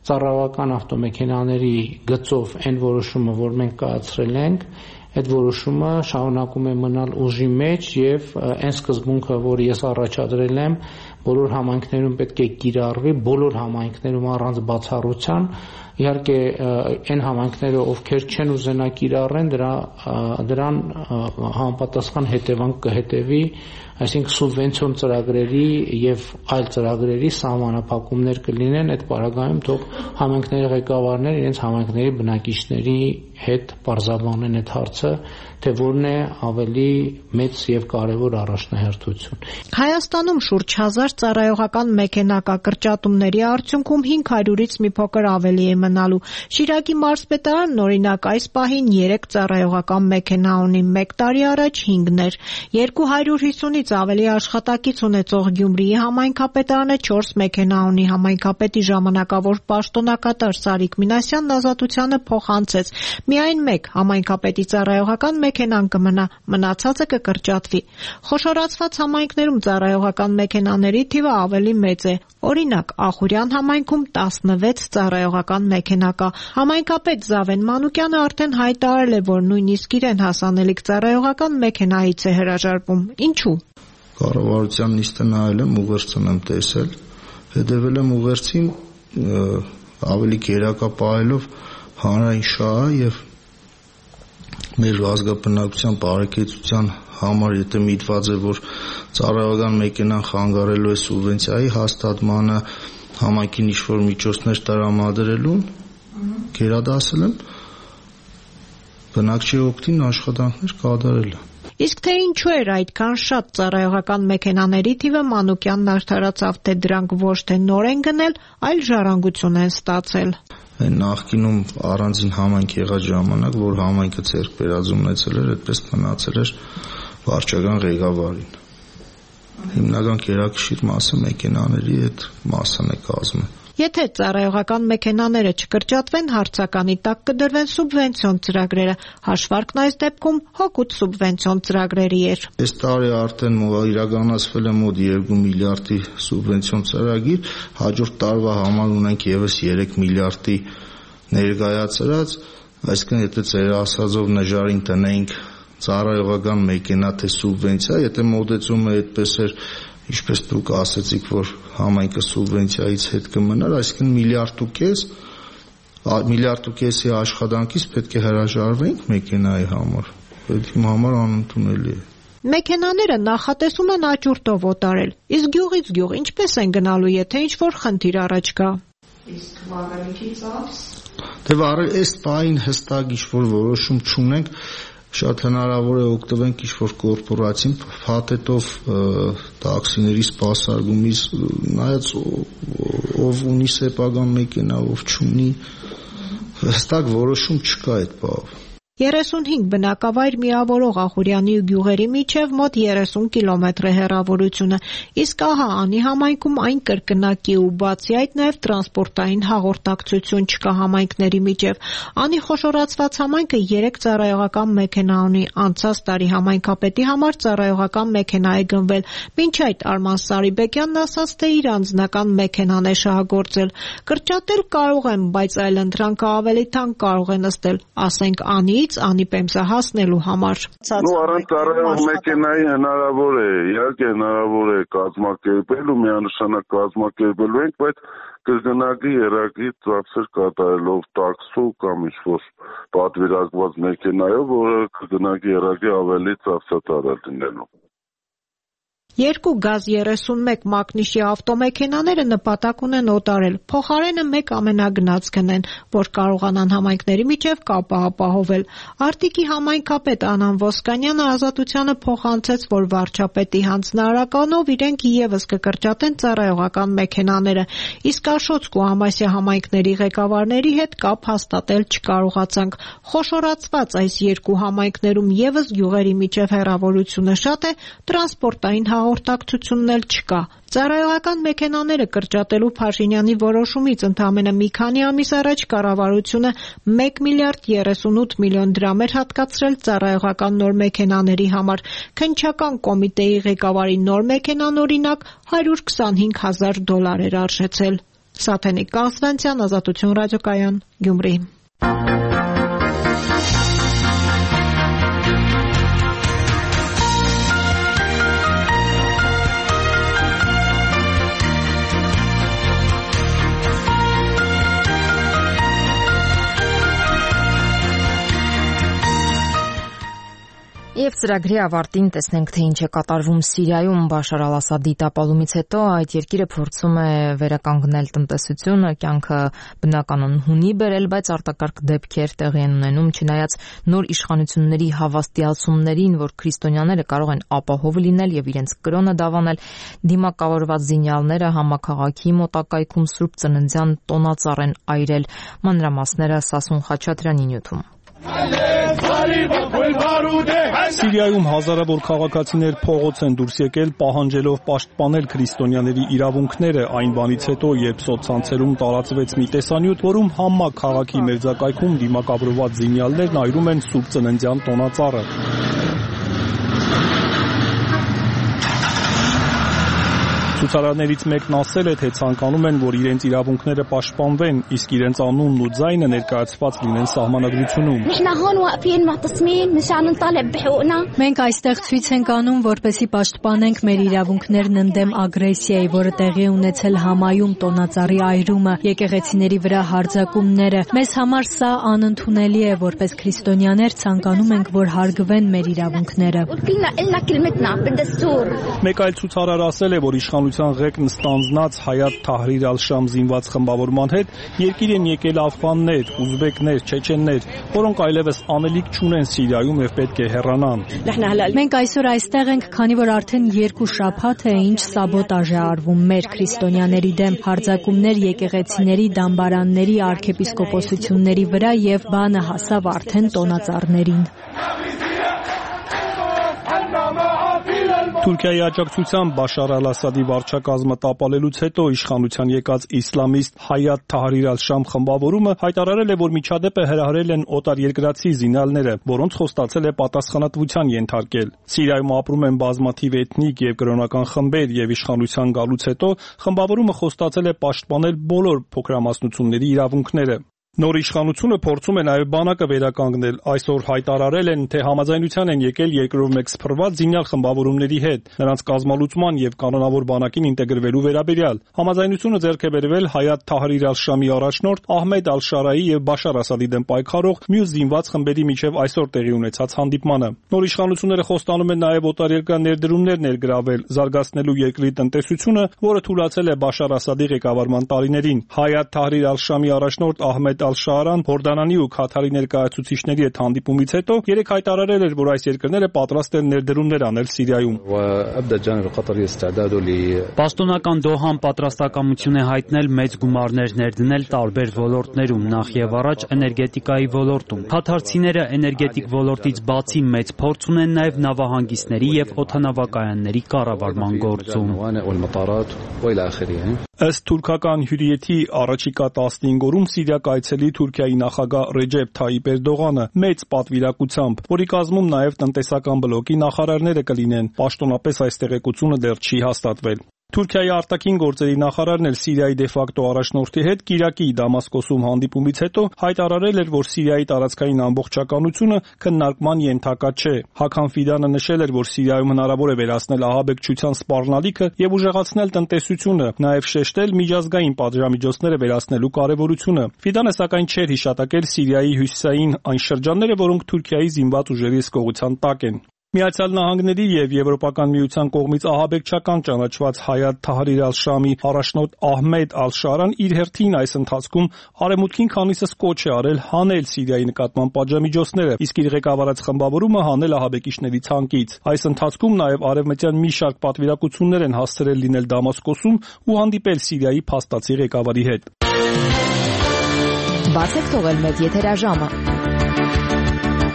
Ծառայողական ավտոմեքենաների գծով այն որոշումը, որ մենք կայացրել ենք, այդ որոշումը շարունակում է մնալ ուժի մեջ եւ այն սկզբունքը, որ ես առաջադրել եմ, բոլոր համայնքներում պետք է կիրառվի, բոլոր համայնքներում առանց բացառության։ Իհարկե այն համայնքները, ովքեր չեն ուզենա կիրառեն, դրան համապատասխան հետևանք կհետևի, այսինքն սուբվենցիոն ծրագրերի եւ այլ ծրագրերի սահմանափակումներ կլինեն, այդ պարագայում թող համայնքների ղեկավարները իրենց համայնքների բնակիչների հետ պարզաբանեն այդ հարցը, թե որն է ավելի մեծ եւ կարեւոր առաջնահերթություն։ Հայաստանում շուրջ 1000 ծառայողական մեքենա կա, կրճատումների արդյունքում 500-ից մի փոքր ավելի է մնալու։ Շիրակի մարզպետարանն օրինակ այս պահին 3 ծառայողական մեքենա ունի, 1 տարի առաջ 5-ներ։ 250-ից ավելի աշխատակից ունեցող Գյումրիի համայնքապետարանը 4 մեքենա ունի, համայնքապետի ժամանակավոր պաշտոնակատար Սարիկ Մինասյանն Ազատությանը փոխանցեց։ Միայն 1 համայնքապետի ծառայողական մեքենան կմնա, մնացածը կկրճատվի։ Խոշորացված համայնքներում ծառայողական մեքենաների թիվը ավելի մեծ է։ Օրինակ, Ախուրյան համայնքում 16 ծառայողական մեքենա կա։ Համայնքապետ Զավեն Մանուկյանը արդեն հայտարարել է, որ նույնիսկ իրեն հասանելիք ծառայողական մեքենայից է հրաժարվում։ Ինչու՞։ Կառավարության նիստը նայել եմ, ուղերձն եմ տեսել, հետևել եմ ուղերձին ավելի գերակա պահելով հանրային շահը եւ մեր ազգաբնակության բարեկեցության համար, եթե միտված է, որ ծառայողական մեքենան խանգարելու է սուբվենցիայի հաստատմանը, համայնքին ինչ-որ միջոցներ տրամադրելուն, գերադասել եմ, բնակչի օգտին աշխատանքներ կատարել։ Իսկ թե ինչու էր այդքան շատ ծառայողական մեքենաների թիվը, Մանուկյանն արդարացավ, թե դրանք ոչ թե նոր են գնել, այլ ժառանգություն են ստացել։ Այն նախկինում առանձին համայնք եղած ժամանակ, որ համայնքը ձեռք բերած ունեցել էր, այդպես մնացել էր վարչական ղեկավարին։ Հիմնական գերակշիռ մասը մեքենաների այդ մասն է կազմում։ Եթե ծառայողական մեքենաները չկրճատվեն, հարցականի տակ կդրվեն սուբվենցիոն ծրագրերը։ Հաշվարկն այս դեպքում հօգուտ սուբվենցիոն ծրագրերի էր։ Այս տարի արդեն իրականացվել է մոտ 2 միլիարդի սուբվենցիոն ծրագիր, հաջորդ տարվա համար ունենք եւս 3 միլիարդի ներկայացրած, այսինքն եթե ծեր ասածով նժարին տնենք ծառայողական մեքենա թե սուբվենցիա, եթե մոտեցումը այդպես էր, ինչպես դուք ասացիք, որ համայնքը սուբվենցիայից հետ կմնար, այսինքն միլիարդ ու կեսի աշխատանքից պետք է հրաժարվենք մեքենայի համար։ Այդ իմ համար անընդունելի է։ Մեքենաները նախատեսում են աճուրդով օտարել, իսկ գյուղից գյուղ ինչպես են գնալու, եթե ինչ-որ խնդիր առաջ գա։ Իսկ վառելիքի ծախս։ Դե այս պահին հստակ ինչ-որ որոշում չունենք, շատ հնարավոր է օգտվենք ինչ-որ կորպորացիոն փաթեթով տաքսիների սպասարկումից, նայած ով ունի սեփական մեքենա, ով չունի, հստակ որոշում չկա այդ բաղ։ 35 բնակավայր միավորող Ախուրյանի ու գյուղերի միջև մոտ 30 կիլոմետր է հեռավորությունը, իսկ ահա Անի համայնքում այն կրկնակի ու բացի այդ նաև տրանսպորտային հաղորդակցություն չկա համայնքների միջև։ Անի խոշորացված համայնքը 3 ծառայողական մեքենա ունի, անցած տարի համայնքապետի համար ծառայողական մեքենա է գնվել, մինչ այդ Արման Սարիբեկյանն ասաց, թե իր անձնական մեքենան է շահագործել։ Կրճատել կարող են, բայց այլընտրանքը ավելի թանկ կարող է նստել, ասենք Անի Անի Պեմսա հասնելու համար։ Առանց ծառայող մեքենայի հնարավոր է, իհարկե հնարավոր է կազմակերպել ու միանշանակ կազմակերպելու ենք, բայց կրկնակի երակի ծախսեր կատարելով տաքսով կամ ինչ-որ պատվիրակված մեքենայով, որը կրկնակի երակի ավելի ծախսատար լինելու։ 2 գազ 31 մակնիշի ավտոմեքենաները նպատակ ունեն օտարել, փոխարենը 1 ամենագնաց գնեն, որ կարողանան համայնքների միջև կապը ապահովել։ Արտիկի համայնքապետ Անան Ոսկանյանը Ազատությանը փոխանցեց, որ վարչապետի հանձնարարականով իրենք եւս կկրճատեն ծառայողական մեքենաները, իսկ Աշոտսկ ու Համասիա համայնքների ղեկավարների հետ կապ հաստատել չկարողացանք։ Խոշորացված այս 2 համայնքներում եւս գյուղերի միջև հեռավորությունը շատ է, տրանսպորտային հաղորդակցությունն էլ չկա։ Ծառայողական մեքենաները կրճատելու Փաշինյանի որոշումից ընդամենը մի քանի ամիս առաջ կառավարությունը 1 միլիարդ 38 միլիոն դրամ էր հատկացրել ծառայողական նոր մեքենաների համար։ Քննչական կոմիտեի ղեկավարի նոր մեքենան օրինակ $125,000 էր արժեցել։ Սաթենիկ Կասվանցյան, Ազատություն ռադիոկայան, Գյումրի։ Եվ ծրագրի ավարտին տեսնենք, թե ինչ է կատարվում Սիրիայում Բաշար Ալ-Ասադի տապալումից հետո այդ երկիրը փորձում է վերականգնել տնտեսությունը, կյանքը բնականon հունի բերել, բայց արտակարգ դեպքեր տեղի են ունենում, չնայած նոր իշխանությունների հավաստիացումներին, որ քրիստոնյաները կարող են ապահով լինել եւ իրենց կրոնը դավանել, դիմակավորված զինյալները համաքաղաքի մոտակայքում Սուրբ Ծննդյան տոնածառ են այրել։ Մանրամասները Սասուն Խաչատրյանի նյութում։ Սիրիայում հազարավոր քաղաքացիներ փողոց են դուրս եկել պահանջելով պաշտպանել քրիստոնյաների իրավունքները այն բանից հետո, երբ սոցցանցերում տարածվեց մի տեսանյութ, որում Համմա քաղաքի մերձակայքում դիմակավորված զինյալներն այրում են Սուրբ Ծննդյան տոնածառը։ Ցուցարարներից մեկն ասել է, թե ցանկանում են, որ իրենց իրավունքները պաշտպանվեն, իսկ իրենց անունն ու ձայնը ներկայացված լինեն սահմանադրությունում։ Մենք այստեղ ցույց ենք անում, որպեսզի պաշտպանենք մեր իրավունքներն ընդդեմ ագրեսիայի, որը տեղի է ունեցել Համայում տոնածառի այրումը, եկեղեցիների վրա հարձակումները։ Մեզ համար սա անընդունելի է, որպես քրիստոնյաներ ցանկանում ենք, որ հարգվեն մեր իրավունքները։ Մեկ այլ ցուցարար ասել է, որ իշխանության ղեկն ստանձնած Հայաթ Թահրիր Ալ-Շամ զինված խմբավորման հետ երկիր են եկել աֆղաններ, ուզբեկներ, չեչեններ, որոնք այլևս անելիք չունեն Սիրիայում եւ պետք է հեռանան։ Մենք այսօր այստեղ ենք, քանի որ արդեն 2 շաբաթ է, ինչ սաբոտաժ է արվում մեր քրիստոնյաների դեմ, հարձակումներ եկեղեցիների, դամբարանների, արքեպիսկոպոսությունների վրա եւ բանը հասավ արդեն տոնածառներին։ Թուրքիայի աջակցությամբ Բաշար Ալ-Ասադի վարչակազմը տապալելուց հետո իշխանության եկած իսլամիստ Հայաթ Թահրիր Ալ-Շամ խմբավորումը հայտարարել է, որ միջադեպը հրահրել են օտարերկրացի զինյալները, որոնց խոստացել է պատասխանատվության ենթարկել։ Սիրիայում ապրում են բազմաթիվ էթնիկ եւ կրոնական խմբեր եւ իշխանության գալուց հետո խմբավորումը խոստացել է պաշտպանել բոլոր փոքրամասնությունների իրավունքները։ Նոր իշխանությունը փորձում է նաև բանակը վերականգնել։ Այսօր հայտարարել են, թե համաձայնության են եկել երկրով մեկ սփռված զինյալ խմբավորումների հետ, նրանց կազմալուծման եւ կանոնավոր բանակին ինտեգրվելու վերաբերյալ։ Համաձայնությունը ձեռք է բերվել Հայաթ Թահրիր Ալ-Շամի առաջնորդ Ահմեդ Ալ-Շարայի եւ Բաշար Ասադի դեմ պայքարող մյուս զինված խմբերի միջև այսօր տեղի ունեցած հանդիպմանը։ Նոր իշխանությունները խոստանում են նաև օտարերկրյա ներդրումներ ներգրավել, զարգացնելու երկրի տնտեսությունը, որը թուլացել է Բաշար Ասադի ղեկավարման տարիներին։ Հայաթ Թահրիր Ալ-Շամի առաջնորդ Ահմեդ Ալ-Շաարան Հորդանանի ու Քաթարի ներկայացուցիչների հետ հանդիպումից հետո երեք հայտարարել էր, որ այս երկրները պատրաստ են ներդրումներ անել Սիրիայում։ Պաշտոնական Դոհան պատրաստակամություն է հայտնել մեծ գումարներ ներդնել տարբեր ոլորտներում, նախ եւ առաջ էներգետիկայի ոլորտում։ Քաթարցիները էներգետիկ ոլորտից բացի մեծ փորձ ունեն նաեւ նավահանգիստների եւ օդանավակայանների կառավարման գործում։ Ըստ թուրքական հյուրիեթի առաջիկա 15 օրում Սիրիա կայցելի Թուրքիայի նախագահ Ռեջեփ Թայիպ Էրդողանը մեծ պատվիրակությամբ, որի կազմում նաև տնտեսական բլոկի նախարարները կլինեն։ Պաշտոնապես այս տեղեկությունը դեռ չի հաստատվել։ Թուրքիայի արտաքին գործերի նախարարն էլ Սիրիայի դեֆակտո առաջնորդի հետ Կիրակի Դամասկոսում հանդիպումից հետո հայտարարել էր, որ Սիրիայի տարածքային ամբողջականությունը քննարկման ենթակա չէ։ Հաքան Ֆիդանը նշել էր, որ Սիրիայում հնարավոր է վերացնել ահաբեկչության սպառնալիքը եւ ուժեղացնել տնտեսությունը, նաեւ շեշտել միջազգային պատժամիջոցները վերացնելու կարեւորությունը։ Ֆիդանը սակայն չէր հիշատակել Սիրիայի հյուսիսային այն շրջանները, որոնք Թուրքիայի զինված ուժերի հսկողության տակ են։ Միացյալ Նահանգների եւ Եվրոպական միության կողմից ահաբեկչական ճանաչված Հայաթ Թահրիր Ալ-Շամի առաջնորդ Ահմեդ Ալ-Շարան իր հերթին այս ընթացքում արևմուտքին քանիսս կոչ է արել հանել Սիրիայի նկատմամբ պատժամիջոցները, իսկ իր ղեկավարած խմբավորումը հանել ահաբեկիչների ցանկից։ Այս ընթացքում նաեւ արևմտյան մի շարք պատվիրակություններ են հասցրել լինել Դամասկոսում ու հանդիպել Սիրիայի փաստացի ղեկավարի հետ։ Բացեք թողել մեծ եթերաժամը։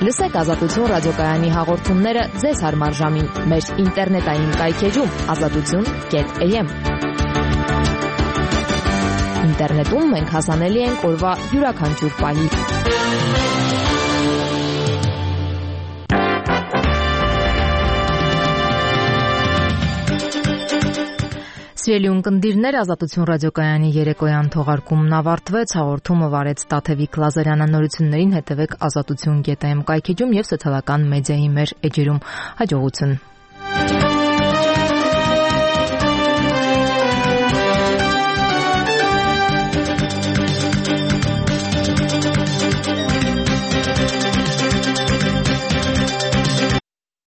Լսեք Ազատություն ռադիոկայանի հաղորդումները ձեզ հարմար ժամին մեր ինտերնետային կայքեջում azatutun.am։ Ինտերնետում մենք հասանելի ենք օրվա յուրաքանչյուր պահի։ Սիրելի ունկնդիրներ, Ազատություն ռադիոկայանի երեկոյան թողարկումն ավարտվեց, հաղորդումը վարեց Տաթևիկ Լազարյանը, նորություններին հետևեք azatutun.am կայքեջում եւ սոցիալական մեդիայի մեր էջերում։ Հաջողություն։